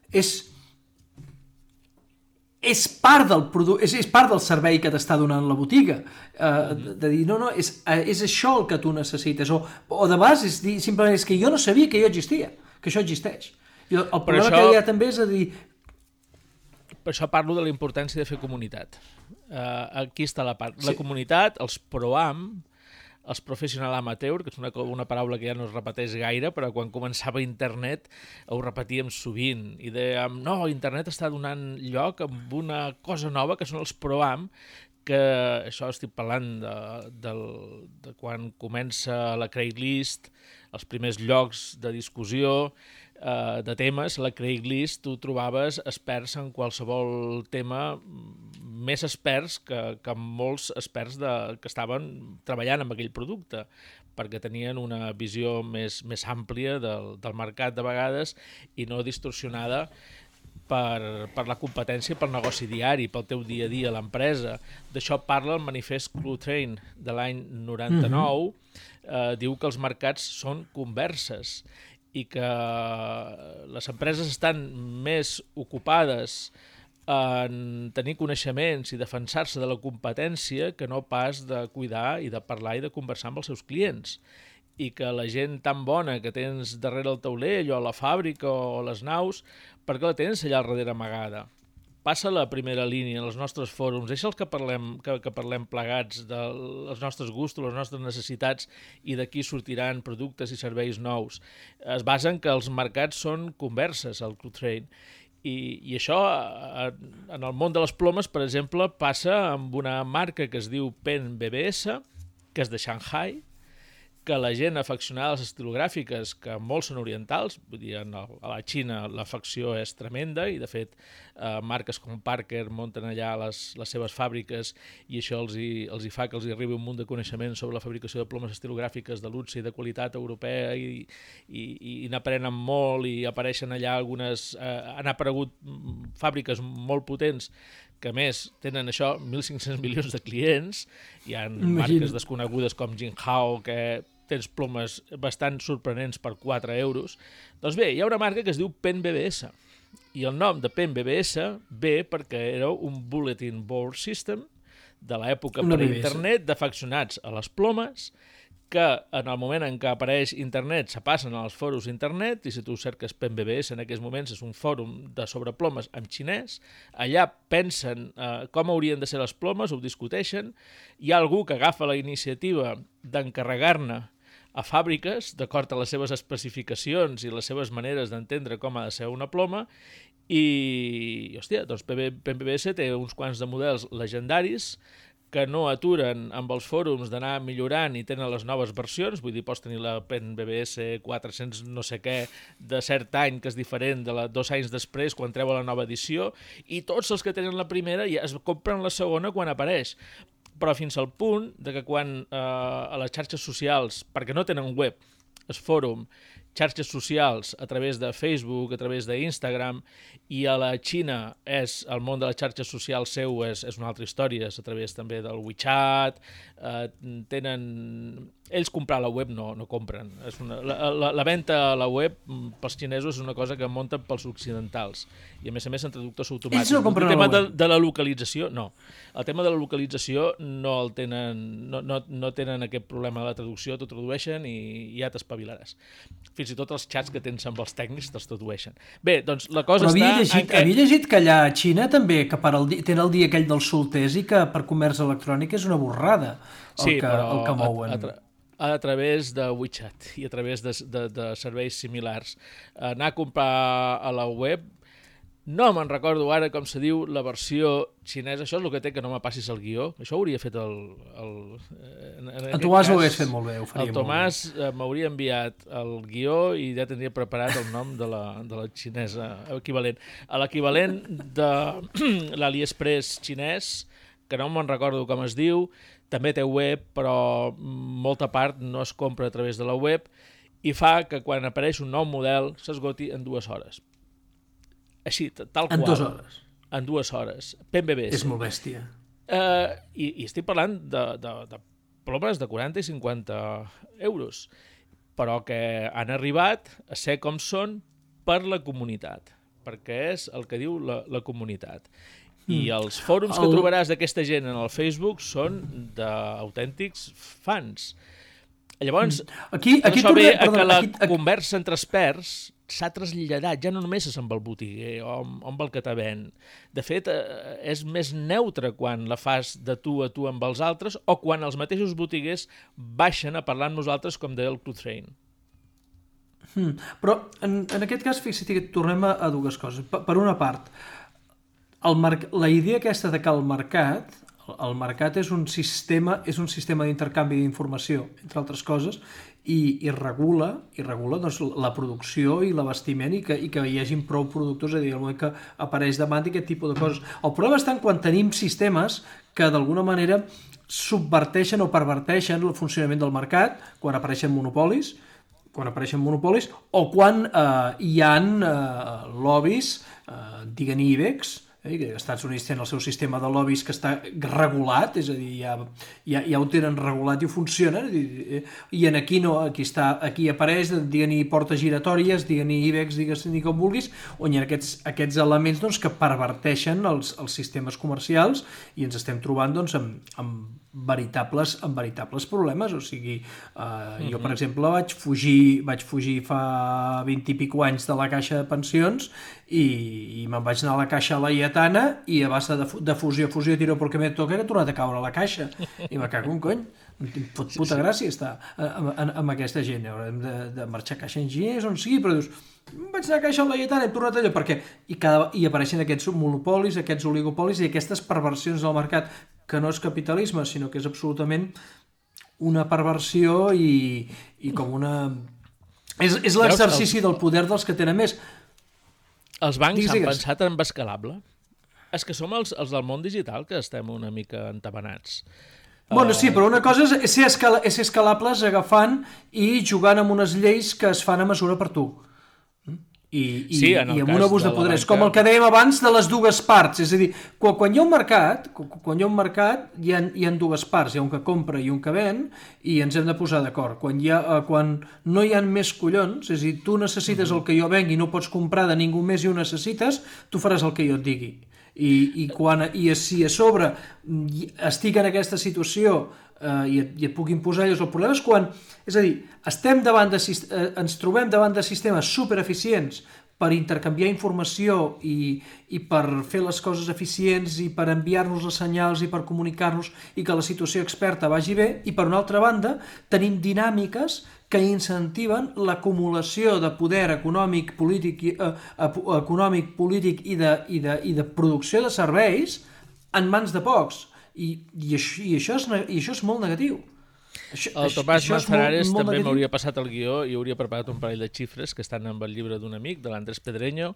és és part del producte, és, és part del servei que t'està donant la botiga, uh, de, de dir, no, no, és, és això el que tu necessites, o, o de base és dir, simplement és que jo no sabia que jo existia, que això existeix. I el, el problema això, que hi ha també és a dir... Per això parlo de la importància de fer comunitat. Uh, aquí està la part. La sí. comunitat, els pro-am, els professional amateur, que és una, una paraula que ja no es repeteix gaire, però quan començava internet ho repetíem sovint i dèiem, no, internet està donant lloc a una cosa nova que són els pro-am, que això estic parlant de, de, de quan comença la Craigslist, els primers llocs de discussió eh, de temes, la Craigslist tu trobaves experts en qualsevol tema, més experts que, que molts experts de, que estaven treballant amb aquell producte, perquè tenien una visió més, més àmplia del, del mercat de vegades i no distorsionada per, per la competència, pel negoci diari, pel teu dia a dia a l'empresa. D'això parla el manifest Cluetrain de l'any noranta-nou, mm-hmm. eh, diu que els mercats són converses i que les empreses estan més ocupades en tenir coneixements i defensar-se de la competència que no pas de cuidar i de parlar i de conversar amb els seus clients. I que la gent tan bona que tens darrere el taulell o a la fàbrica o a les naus, per què la tens allà al darrere amagada? Passa a la primera línia en els nostres fòrums, deixa els que parlem, que, que parlem plegats dels nostres gustos, les nostres necessitats i d'aquí sortiran productes i serveis nous. Es basen que els mercats són converses, al Cluetrain. I, i això, en el món de les plomes, per exemple, passa amb una marca que es diu Pen B B S, que és de Shanghai, que la gent afeccionada a les estilogràfiques, que molts són orientals, vull dir, a la Xina l'afecció és tremenda i, de fet, eh, marques com Parker munten allà les, les seves fàbriques i això els hi, els hi fa que els hi arribi un munt de coneixement sobre la fabricació de plomes estilogràfiques de luxe i de qualitat europea i, i, i n'aprenen molt i apareixen allà algunes... Eh, han aparegut fàbriques molt potents que a més tenen això, mil cinc-cents milions de clients, hi ha marques desconegudes com Jinhao, que tens plomes bastant sorprenents per quatre euros. Doncs bé, hi ha una marca que es diu Pen B B S, i el nom de Pen B B S ve perquè era un bulletin board system de l'època per internet d'afeccionats a les plomes, que en el moment en què apareix internet se passen als fòrums internet, i si tu cerques Pen B B S en aquests moments és un fòrum de sobreplomes en xinès, allà pensen eh, com haurien de ser les plomes, ho discuteixen, hi ha algú que agafa la iniciativa d'encarregar-ne a fàbriques, d'acord a les seves especificacions i les seves maneres d'entendre com ha de ser una ploma, i, hòstia, doncs Pen B B S té uns quants de models legendaris que no aturen amb els fòrums d'anar millorant i tenen les noves versions, vull dir, pots tenir la Pen B B S quatre-cents no sé què de cert any, que és diferent de la dos anys després, quan treu la nova edició, i tots els que tenen la primera ja es compren la segona quan apareix. Però fins al punt de que quan eh, a les xarxes socials, perquè no tenen web, es fòrum, xarxes socials a través de Facebook, a través d'Instagram, i a la Xina és el món de les xarxes socials seu és, és una altra història, és a través també del WeChat, eh, tenen... Ells comprar a la web no, no compren. És una, la, la, la venda a la web pels xinesos és una cosa que munten pels occidentals, i a més a més en traductors automàtics. Ells no compren el tema a la web. de, de la localització, no. El tema de la localització no el tenen, no, no, no tenen aquest problema de la traducció, t'ho tradueixen i ja t'espavilaràs. Fins i tot els xats que tens amb els tècnics te'ls tradueixen. Bé, doncs la cosa Però havia està... llegit, que... havia llegit que allà a Xina també, que per el dia, tenen el dia aquell dels solters i que per comerç electrònic és una borrada el, sí, que, però el que mouen. A, a, tra a través de WeChat i a través de, de, de serveis similars. Anar a comprar a la web, no me'n recordo ara com se diu la versió xinesa, això és el que té que no me passis el guió, això ho hauria fet el... el en, en Tomàs cas, ho hagués fet molt bé, ho faria el Tomàs m'hauria enviat el guió i ja tindria preparat el nom de la, de la xinesa equivalent. L'equivalent de l'AliExpress xinès, que no me'n recordo com es diu, també té web, però molta part no es compra a través de la web i fa que quan apareix un nou model s'esgoti en dues hores. Així, tal qual. En dues hores? En dues hores. Pen B B S. És molt bèstia. Uh, i, I estic parlant de, de, de plomes de quaranta i cinquanta euros, però que han arribat a ser com són per la comunitat, perquè és el que diu la, la comunitat. I els fòrums que trobaràs d'aquesta gent en el Facebook són d'autèntics fans. Llavors, aquí, aquí això torna, ve a perdona, que la aquí, aquí... conversa entre experts s'ha traslladat, ja no només és amb el botiguer o amb, amb el que te ven. De fet, eh, és més neutre quan la fas de tu a tu amb els altres o quan els mateixos botiguers baixen a parlar amb nosaltres, com deia el Cluetrain. Hmm. Però en, en aquest cas, fixa't que tornem a, a dues coses. Per, per una part, el marc... la idea aquesta de que el mercat, el mercat és un sistema, és un sistema d'intercanvi d'informació, entre altres coses, i, i regula, i regula doncs, la producció i l'abastiment i que, i que hi hagin prou productors, és a dir, el moment que apareix demanda i aquest tipus de coses. El problema està en quan tenim sistemes que d'alguna manera subverteixen o perverteixen el funcionament del mercat quan apareixen monopolis, quan apareixen monopolis o quan eh, hi ha eh, lobbies, eh, diguen IBEX, eh, que els Estats Units tenen el seu sistema de lobbies que està regulat, és a dir, ja, ja, ja ho tenen regulat i ho funciona, i, i en aquí no, aquí, està, aquí apareix, diguen-hi portes giratòries, diguen-hi IBEX, digues-hi com vulguis, on hi ha aquests, aquests elements doncs, que perverteixen els, els sistemes comercials i ens estem trobant doncs, amb, amb veritables, amb veritables problemes, o sigui, eh, mm-hmm. jo per exemple vaig fugir, vaig fugir fa vint i pico anys de la caixa de pensions i, i me'n vaig anar a la caixa laietana i a base de, de fusió a fusió tiro perquè me toca que he tornat a caure a la caixa i me cago un cony, em fot puta gràcia estar amb, amb, amb aquesta gent, haurem de, de marxar a caixa enginyers on sigui, però dius vaig anar a caixa laietana, he tornat allò perquè i, cada, i apareixen aquests monopolis, aquests oligopolis i aquestes perversions del mercat que no és capitalisme, sinó que és absolutament una perversió i, i com una... És, és l'exercici del poder dels que tenen més. Els bancs digues, han digues. pensat en Escalable. És que som els, els del món digital que estem una mica entabanats. Bueno, sí, però una cosa és ser, escala, és ser escalables agafant i jugant amb unes lleis que es fan a mesura per tu. I, i, sí, i amb un abús de, de poder. És com el que dèiem abans de les dues parts. És a dir, quan, quan hi ha un mercat, quan hi ha un mercat hi ha, hi ha dues parts. Hi ha un que compra i un que ven i ens hem de posar d'acord. Quan, hi ha, quan no hi ha més collons, és a dir, tu necessites mm-hmm. el que jo venc i no pots comprar de ningú més i ho necessites, tu faràs el que jo et digui. I, i, quan, i si a sobre estic en aquesta situació eh, i, et, i et puc imposar ells, el problema és quan, és a dir, estem davant de, eh, ens trobem davant de sistemes supereficients per intercanviar informació i, i per fer les coses eficients i per enviar-nos els senyals i per comunicar-nos i que la situació experta vagi bé, i per una altra banda tenim dinàmiques que incentiven l'acumulació de poder econòmic, polític, eh, econòmic, polític i de, i, de, i de producció de serveis en mans de pocs. I, i, això, i, això, és, i això és molt negatiu. Això, el Tomàs Manzanares molt, molt també negatiu. m'hauria passat el guió i hauria preparat un parell de xifres que estan amb el llibre d'un amic, de l'Andrés Pedreño,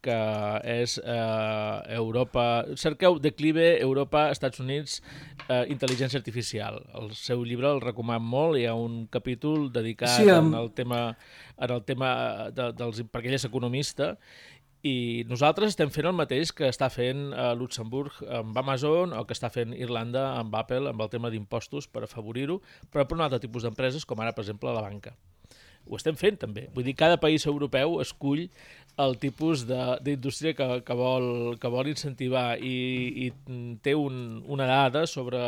que és eh, Europa... Cerqueu Declive, Europa, Estats Units, eh, Intel·ligència Artificial. El seu llibre el recoman molt, hi ha un capítol dedicat sí, amb... en el tema, en el tema de, dels, perquè ell és economista, i nosaltres estem fent el mateix que està fent a Luxemburg amb Amazon o que està fent Irlanda amb Apple amb el tema d'impostos per afavorir-ho, però per un altre tipus d'empreses com ara, per exemple, la banca. Ho estem fent també. Vull dir, cada país europeu escull el tipus d'indústria que, que, vol, que vol incentivar i, i té un, una dada sobre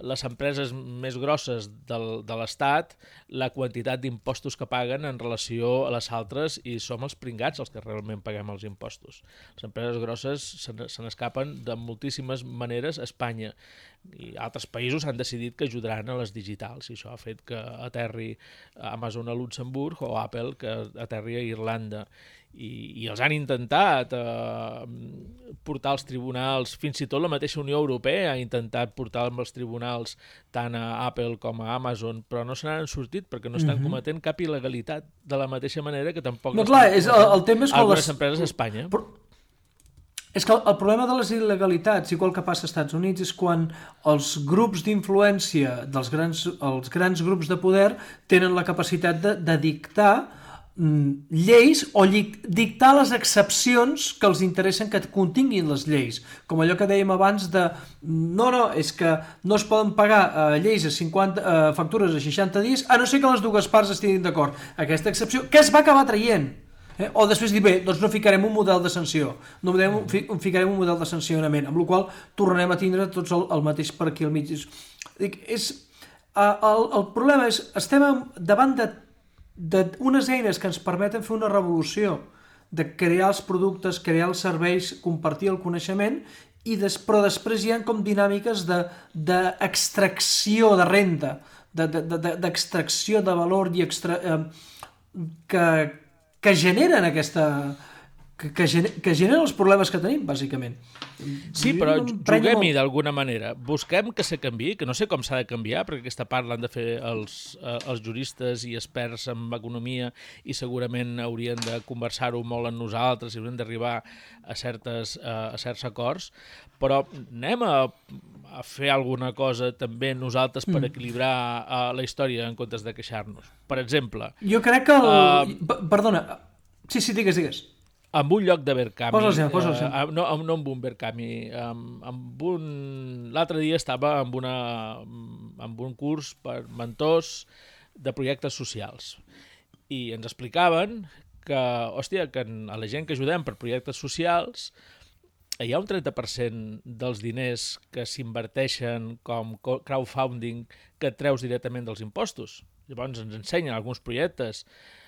les empreses més grosses del, de l'Estat, la quantitat d'impostos que paguen en relació a les altres, i som els pringats els que realment paguem els impostos. Les empreses grosses se, se n'escapen de moltíssimes maneres a Espanya, i altres països han decidit que ajudaran a les digitals, i això ha fet que aterri Amazon a Luxemburg o Apple que aterri a Irlanda. I, i els han intentat eh, portar als tribunals, fins i tot la mateixa Unió Europea ha intentat portar als tribunals tant a Apple com a Amazon, però no se n'han sortit perquè no estan mm-hmm. cometent cap il·legalitat, de la mateixa manera que tampoc no, clar, és, el, el tema és algunes les... empreses a Espanya. Però... És que el problema de les il·legalitats, igual que passa als Estats Units, és quan els grups d'influència dels grans, els grans grups de poder tenen la capacitat de, de dictar lleis o dictar les excepcions que els interessen que continguin les lleis, com allò que dèiem abans de no, no, és que no es poden pagar eh, lleis a cinquanta, eh, factures a seixanta dies a no ser que les dues parts estiguin d'acord. Aquesta excepció que es va acabar traient, eh? O després dir, bé, doncs no ficarem un model de sanció, no ficarem un model de sancionament, amb la qual tornarem a tindre tots el, el mateix per aquí al mig. Dic, és, eh, el, el problema és, estem davant de d'unes eines que ens permeten fer una revolució, de crear els productes, crear els serveis, compartir el coneixement, i des, però després hi ha com dinàmiques d'extracció de, de renda, d'extracció de, de, de valor i extra, eh, que, que generen aquesta, que, que, gener, que generen els problemes que tenim, bàsicament. Sí, però juguem-hi d'alguna manera. Busquem que se canviï, que no sé com s'ha de canviar, perquè aquesta part l'han de fer els, els juristes i experts en economia i segurament haurien de conversar-ho molt amb nosaltres i haurien d'arribar a, certes, a certs acords, però anem a, a fer alguna cosa també nosaltres per equilibrar uh, la història en comptes de queixar-nos. Per exemple... Jo crec que el... Uh, Perdona. Sí, sí, digues, digues. Amb un lloc de Berkami, posa posa uh, no, no amb un Berkami, amb, amb un... l'altre dia estava amb, una, amb un curs per mentors de projectes socials i ens explicaven que, hòstia, que a la gent que ajudem per projectes socials hi ha un trenta per cent dels diners que s'inverteixen com crowdfunding que et treus directament dels impostos. Llavors ens ensenyen alguns projectes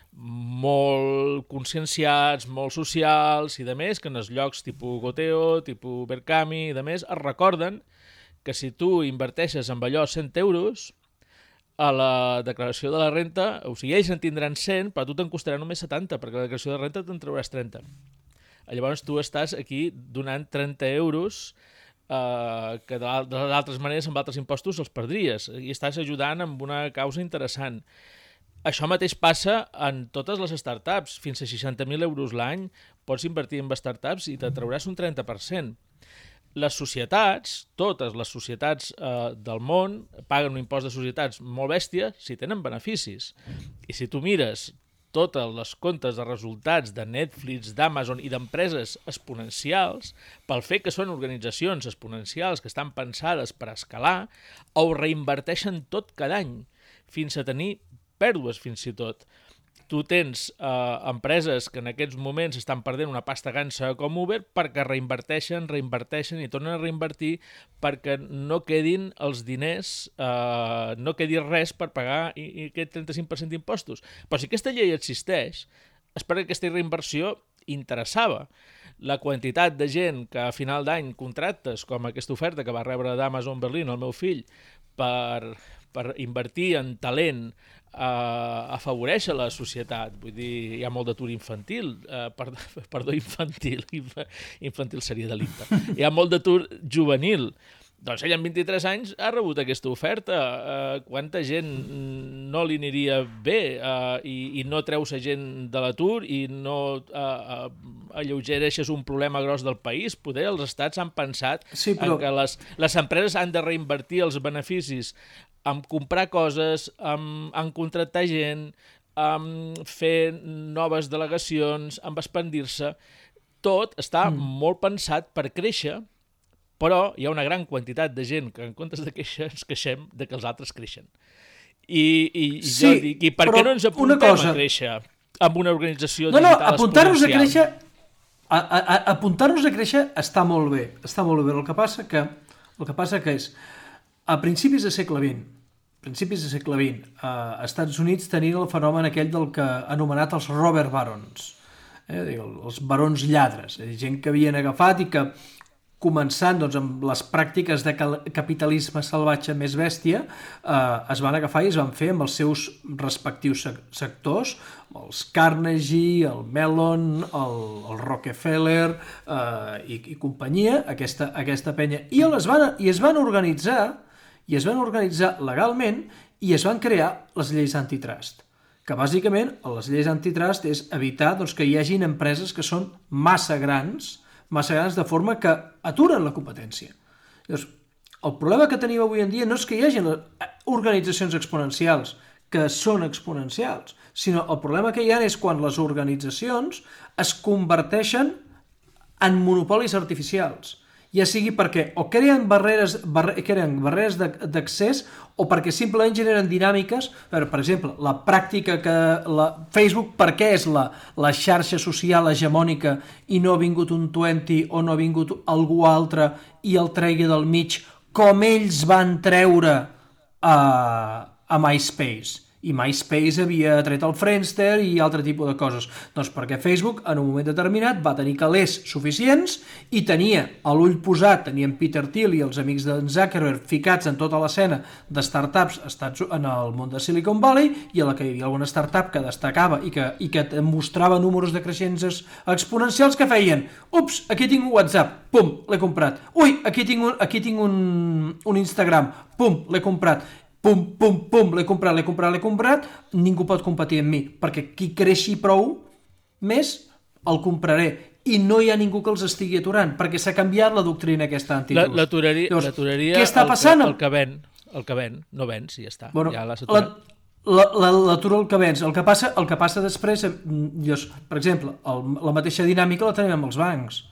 molt conscienciats, molt socials i de més, que en els llocs tipus Goteo, tipus Berkami i de més, es recorden que si tu inverteixes amb allò cent euros, a la declaració de la renta, o sigui, ells en tindran cent, però a tu te'n costarà només setanta, perquè la declaració de renta te'n trauràs trenta. Llavors tu estàs aquí donant trenta euros eh, que d'altres maneres amb altres impostos els perdries i estàs ajudant amb una causa interessant. Això mateix passa en totes les startups. Fins a seixanta mil euros l'any pots invertir en startups i te trauràs un trenta per cent. Les societats, totes les societats eh, del món, paguen un impost de societats molt bèstia si tenen beneficis. I si tu mires totes les comptes de resultats de Netflix, d'Amazon i d'empreses exponencials, pel fet que són organitzacions exponencials que estan pensades per escalar, ho reinverteixen tot cada any, fins a tenir pèrdues fins i tot. Tu tens eh, empreses que en aquests moments estan perdent una pasta gansa com Uber perquè reinverteixen, reinverteixen i tornen a reinvertir perquè no quedin els diners, eh, no quedi res per pagar i, i aquest trenta-cinc per cent d'impostos. Però si aquesta llei existeix, és perquè aquesta reinversió interessava. La quantitat de gent que a final d'any contractes, com aquesta oferta que va rebre d'Amazon Berlín el meu fill, per, per invertir en talent, Uh, afavoreix a la societat. Vull dir, hi ha molt d'atur infantil, uh, per, perdó, infantil infantil seria delicte, hi ha molt d'atur juvenil. Doncs ell amb vint-i-tres anys ha rebut aquesta oferta. Uh, quanta gent no li aniria bé uh, i, i no treus a gent de l'atur i no uh, uh, alleugereixes un problema gros del país? Poder els estats han pensat sí, però... en que les, les empreses han de reinvertir els beneficis en comprar coses, en, en contractar gent, en fer noves delegacions, en expandir-se. Tot està mm. molt pensat per créixer, però hi ha una gran quantitat de gent que en comptes de queixar ens queixem de que els altres creixen. I, i, i sí, jo dic, i per què no ens apuntem cosa... a créixer amb una organització no, digital no, apuntar-nos a créixer, a, a, a, apuntar-nos a créixer està molt bé, està molt bé. El que passa que, el que passa que és, a principis del segle vint, principis del segle vint, a Estats Units tenien el fenomen aquell del que anomenat els robber barons, eh, els barons lladres, gent que havien agafat i que començant doncs, amb les pràctiques de capitalisme salvatge més bèstia, eh, es van agafar i es van fer amb els seus respectius sectors, els Carnegie, el Mellon, el, el Rockefeller eh, i, i companyia, aquesta, aquesta penya, i es van, i es van organitzar i es van organitzar legalment i es van crear les lleis antitrust, que bàsicament les lleis antitrust és evitar doncs, que hi hagin empreses que són massa grans, massa grans de forma que aturen la competència. Llavors, el problema que tenim avui en dia no és que hi hagi organitzacions exponencials, que són exponencials, sinó el problema que hi ha és quan les organitzacions es converteixen en monopolis artificials, ja sigui perquè o creen barreres, barre, creen barreres d'accés o perquè simplement generen dinàmiques. Per, per exemple, la pràctica que la Facebook, per què és la, la xarxa social hegemònica i no ha vingut un Twenty o no ha vingut algú altre i el tregui del mig, com ells van treure a, a MySpace I MySpace havia tret el Friendster i altre tipus de coses. Doncs perquè Facebook, en un moment determinat, va tenir calés suficients i tenia a l'ull posat, tenien Peter Thiel i els amics d'en Zuckerberg ficats en tota l'escena de startups en el món de Silicon Valley, i a la que hi havia alguna startup que destacava i que, i que mostrava números de creixents exponencials, que feien: ups, aquí tinc un WhatsApp, pum, l'he comprat. Ui, aquí tinc un, aquí tinc un, un Instagram, pum, l'he comprat. Pum, pum, pum, l'he comprat, l'he comprat, l'he comprat, ningú pot competir amb mi, perquè qui creixi prou més el compraré, i no hi ha ningú que els estigui aturant, perquè s'ha canviat la doctrina aquesta antitrust. L'aturaria què està passant? El, el que ven, el que ven, no vens i ja està. Bueno, ja l'has aturat. L'atura el que vens. El que passa, el que passa després, llavors, per exemple, el, la mateixa dinàmica la tenim amb els bancs.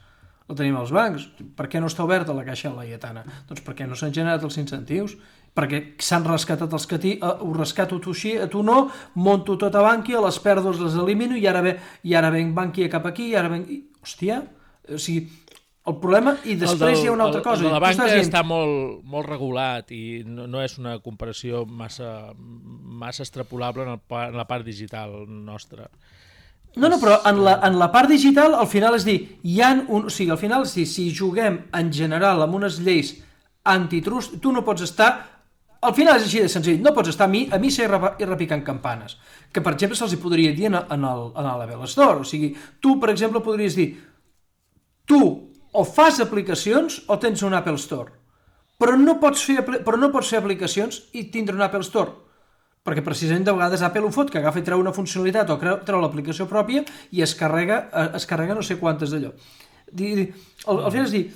La tenim als bancs. Per què no està oberta la caixa laietana? Doncs perquè no s'han generat els incentius, perquè s'han rescatat els que ti, uh, ho rescato tu així, a tu no, monto tot a Bankia, les pèrdues les elimino i ara ve, i ara ven Bankia cap aquí, i ara ven... I, hòstia, o sigui, el problema, i després del, hi ha una altra cosa. El de la banca dient... està molt, molt regulat i no, no és una comparació massa, massa extrapolable en, el, en la part digital nostra. No, no, però en la, en la part digital, al final és dir, hi ha un, o sigui, al final és dir, si juguem en general amb unes lleis antitrust, tu no pots estar... Al final és així de senzill, no pots estar a mi, a mi ser i repicant campanes, que per exemple se'ls podria dir en, en, el, en l'Apple Store, o sigui, tu per exemple podries dir, tu o fas aplicacions o tens un Apple Store, però no pots fer, però no pots fer aplicacions i tindre un Apple Store, perquè precisament de vegades Apple ho fot, que agafa i treu una funcionalitat o treu l'aplicació pròpia i es carrega, es carrega no sé quantes d'allò. Al, al final és dir,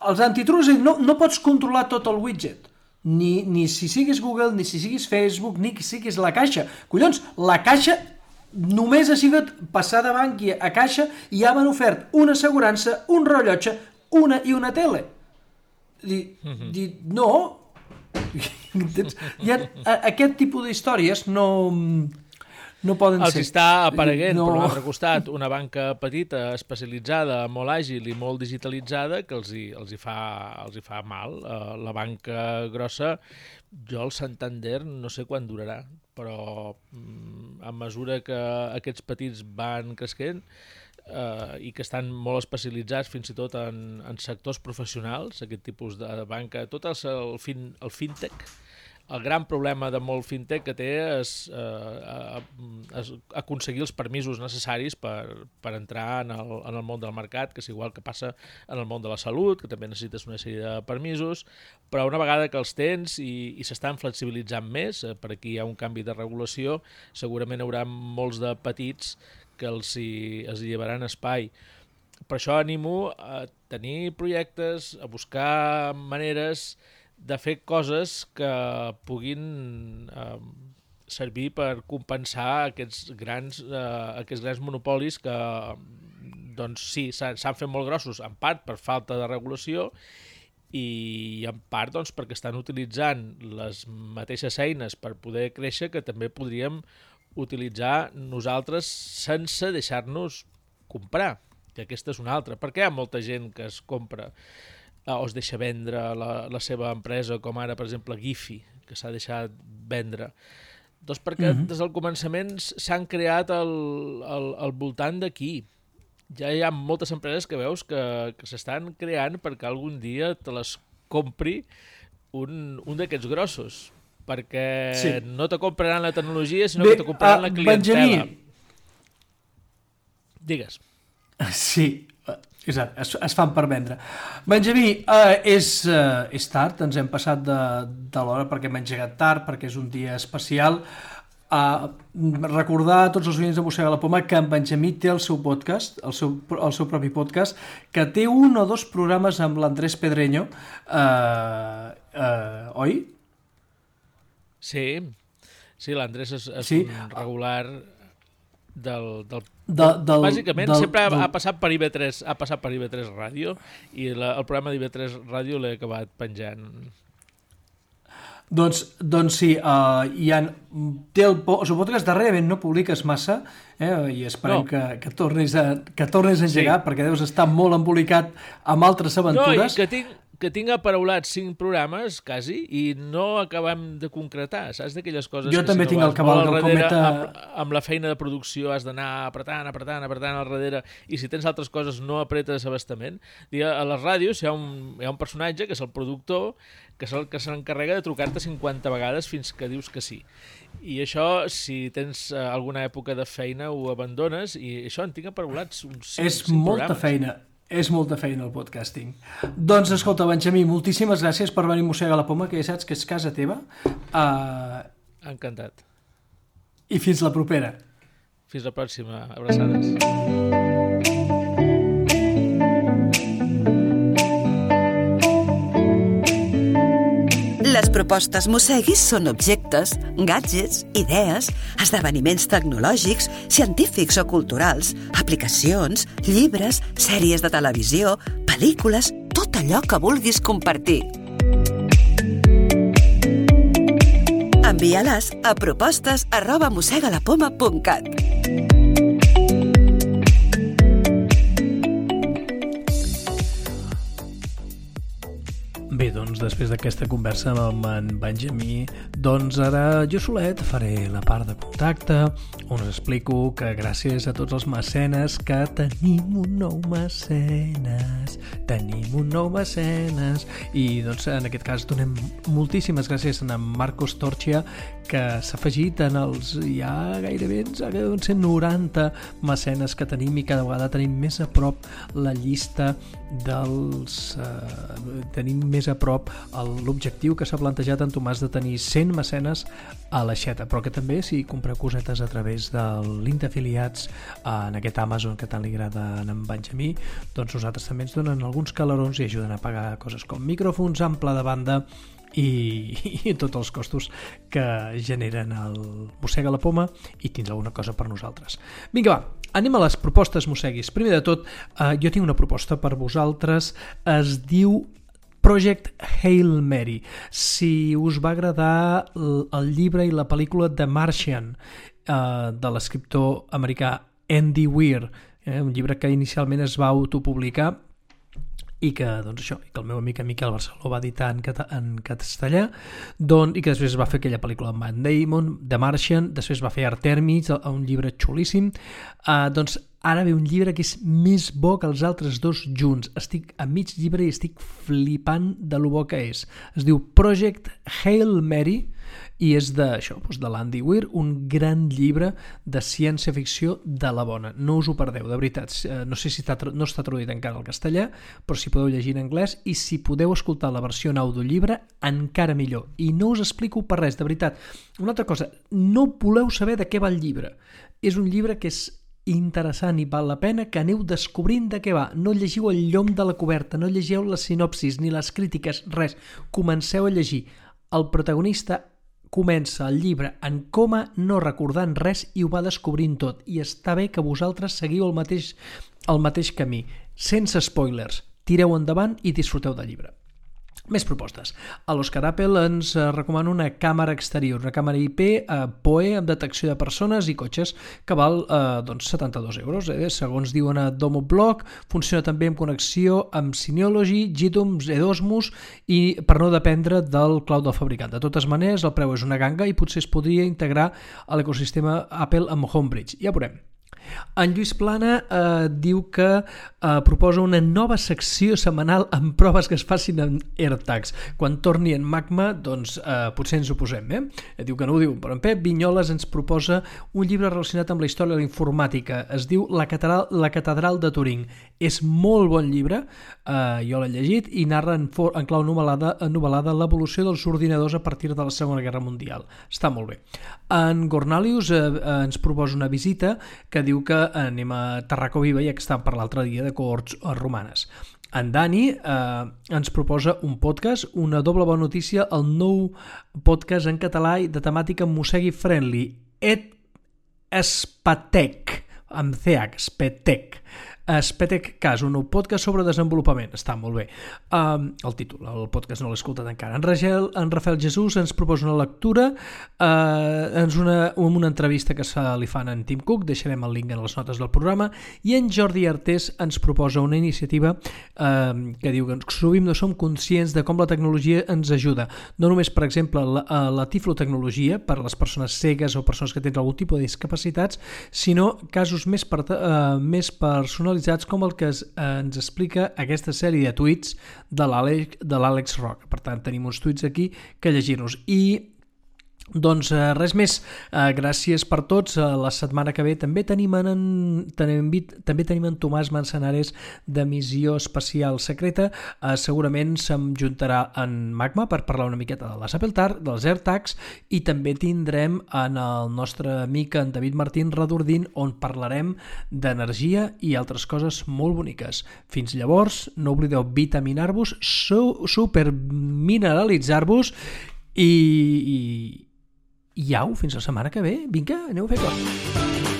els antitrust no, no pots controlar tot el widget, Ni, ni si siguis Google, ni si siguis Facebook, ni si siguis la Caixa. Collons, la Caixa només ha sigut passar de Bankia a Caixa i ja m'han ofert una assegurança, un rellotge, una i una tele. Di, mm-hmm. di, no, ja, aquest tipus d'històries no... no poden els ser. Els està apareguent, no. Per un altre costat, una banca petita, especialitzada, molt àgil i molt digitalitzada, que els hi, els hi, fa, els hi fa mal. Uh, la banca grossa, jo el Santander no sé quan durarà, però um, a mesura que aquests petits van creixent uh, i que estan molt especialitzats fins i tot en, en sectors professionals, aquest tipus de banca, tot el, el, fin, el fintech, el gran problema de molt fintech que té és eh, és aconseguir els permisos necessaris per, per entrar en el, en el món del mercat, que és igual que passa en el món de la salut, que també necessites una sèrie de permisos, però una vegada que els tens i, i s'estan flexibilitzant més, eh, per aquí hi ha un canvi de regulació, segurament hi haurà molts de petits que els hi, els hi llevaran espai. Per això animo a tenir projectes, a buscar maneres de fer coses que puguin eh, servir per compensar aquests grans, eh, aquests grans monopolis que, doncs sí, s'han fet molt grossos, en part per falta de regulació i en part doncs, perquè estan utilitzant les mateixes eines per poder créixer que també podríem utilitzar nosaltres sense deixar-nos comprar, que aquesta és una altra. Per què hi ha molta gent que es compra o es deixa vendre la, la seva empresa, com ara, per exemple, Giphy, que s'ha deixat vendre? Doncs perquè mm-hmm. des del començament s'han creat al, al, al voltant d'aquí. Ja hi ha moltes empreses que veus que, que s'estan creant perquè algun dia te les compri un, un d'aquests grossos. Perquè sí. no te compraran la tecnologia, sinó Bé, que te compraran uh, la clientela. Benjamí. Digues. Sí, exacte, es, es fan per vendre. Benjamí, uh, és, uh, és tard, ens hem passat de, de l'hora perquè hem engegat tard, perquè és un dia especial. Uh, recordar a tots els oients de Mossega la Poma que en Benjamí té el seu podcast, el seu, el seu propi podcast, que té un o dos programes amb l'Andrés Pedreño, uh, uh, oi? Sí, sí, l'Andrés és, és sí. un regular del... del... De, del Bàsicament, del, sempre ha, del... ha passat per I V tres, ha passat per I V tres Ràdio i la, el programa d'I V tres Ràdio l'he acabat penjant. Doncs, doncs sí, uh, hi ha, té el, el seu podcast darrerament no publiques massa, eh, i esperem no. que, que, tornis a, que tornis a engegar, sí. perquè deus estar molt embolicat amb altres aventures. No, i que tinc, que tinc aparaulats cinc programes, quasi, i no acabem de concretar, saps? D'aquelles coses jo que també si tinc no el cabal al del darrere, cometa... amb, amb la feina de producció has d'anar apretant, apretant, apretant al darrere, i si tens altres coses no apretes abastament. A les ràdios hi ha un, hi ha un personatge, que és el productor, que és el que se n'encarrega de trucar-te cinquanta vegades fins que dius que sí. I això, si tens alguna època de feina, ho abandones, i això en tinc aparaulats uns cinc, és cinc molta programes. feina. És molta feina el podcasting. Doncs escolta, Benjamí, moltíssimes gràcies per venir a Mossega la Poma, que ja saps que és casa teva. Uh... Encantat. I fins la propera. Fins la pròxima. Abraçades. Les propostes Mosseguis són objectes, gadgets, idees, esdeveniments tecnològics, científics o culturals, aplicacions, llibres, sèries de televisió, pel·lícules, tot allò que vulguis compartir. Envia-les a propostes arroba mossegalapoma punt cat. Bé, doncs, després d'aquesta conversa amb en Benjamí, doncs ara jo solet faré la part de contacte, on us explico que gràcies a tots els mecenes que tenim un nou mecenes, tenim un nou mecenes, i doncs en aquest cas donem moltíssimes gràcies a en Marcos Torchia, que s'ha afegit en els ja gairebé cent noranta mecenes que tenim, i cada vegada tenim més a prop la llista dels... Eh, tenim més a prop l'objectiu que s'ha plantejat en Tomàs de tenir cent mecenes a l'aixeta, però que també si compreu cosetes a través del link d'afiliats en aquest Amazon que tant li agrada a en Benjamí, doncs nosaltres també ens donen alguns calarons i ajuden a pagar coses com micròfons, ample de banda i, i tots els costos que generen el Mossega la Poma, i tindrà alguna cosa per nosaltres. Vinga, va, anem a les propostes mosseguis. Primer de tot, eh, jo tinc una proposta per vosaltres, es diu Project Hail Mary. Si us va agradar el llibre i la pel·lícula The Martian eh, de l'escriptor americà Andy Weir, eh, un llibre que inicialment es va autopublicar i que, doncs això, que el meu amic Miquel Barceló va editar en, cata, en castellà, doncs, i que després va fer aquella pel·lícula amb Matt Damon, The Martian, després va fer Artemis, un llibre xulíssim. Uh, doncs ara ve un llibre que és més bo que els altres dos junts. Estic a mig llibre i estic flipant de lo bo que és. Es diu Project Hail Mary i és de, això, doncs de l'Andy Weir, un gran llibre de ciència-ficció de la bona. No us ho perdeu, de veritat. No sé si està, no està traduït encara al castellà, però si podeu llegir en anglès, i si podeu escoltar la versió en audiollibre, encara millor. I no us explico per res, de veritat. Una altra cosa, no voleu saber de què va el llibre. És un llibre que és interessant i val la pena que aneu descobrint de què va. No llegiu el llom de la coberta, no llegiu les sinopsis ni les crítiques, res. Comenceu a llegir. El protagonista comença el llibre en coma, no recordant res, i ho va descobrint tot. I està bé que vosaltres seguiu el mateix, el mateix camí. Sense spoilers. Tireu endavant i disfruteu del llibre. Més propostes. A l'Oscar Apple ens recomana una càmera exterior, una càmera I P eh, P O E amb detecció de persones i cotxes que val eh, doncs setanta-dos euros. Eh? Segons diuen a Domoblog, funciona també amb connexió amb Synology, Gitums, Edosmos i per no dependre del cloud del fabricant. De totes maneres, el preu és una ganga i potser es podria integrar a l'ecosistema Apple amb Homebridge. Ja veurem. En Lluís Plana eh, diu que eh, proposa una nova secció setmanal amb proves que es facin en AirTags. Quan torni en Magma, doncs eh, potser ens ho posem. Eh? Diu que no ho diu, però en Pep Vinyoles ens proposa un llibre relacionat amb la història de la informàtica. Es diu La Catedral, la Catedral de Turing. És molt bon llibre, eh, jo l'he llegit, i narra en, for, en clau novel·lada, novel·lada l'evolució dels ordinadors a partir de la Segona Guerra Mundial. Està molt bé. En Gornalius eh, ens proposa una visita que diu que anem a Tarraco Viva, ja que està per l'altre dia de cohorts romanes. En Dani eh, ens proposa un podcast, una doble bona notícia, el nou podcast en català de temàtica Mossegui Friendly, Et Spatec, amb C H, Spatec. Spetecast, un nou podcast sobre desenvolupament. Està molt bé. Um, el títol, el podcast no l'he escoltat encara. En, Ragel, en Rafael Jesús ens proposa una lectura, uh, ens una, una entrevista que se li fan en Tim Cook, deixarem el link en les notes del programa, i en Jordi Artés ens proposa una iniciativa uh, que diu que sovint no som conscients de com la tecnologia ens ajuda. No només, per exemple, la, la tiflotecnologia per a les persones cegues o persones que tenen algun tipus de discapacitats, sinó casos més, per, uh, més personalitzats com el que es, uh, ens explica aquesta sèrie de tuits de l'Àlex Roca. Per tant, tenim uns tuits aquí que llegir-nos. I doncs eh, res més, eh, gràcies per tots. Eh, la setmana que ve també tenim en, tenim, també tenim en Tomàs Manzanares de Missió Espacial Secreta. Eh, segurament se'm juntarà en Magma per parlar una miqueta de les Apple Tar, dels AirTags, i també tindrem en el nostre amic en David Martín Redordín, on parlarem d'energia i altres coses molt boniques. Fins llavors, no oblideu vitaminar-vos, su supermineralitzar-vos i, i I au, fins la setmana que ve. Vinga, aneu a fer coses.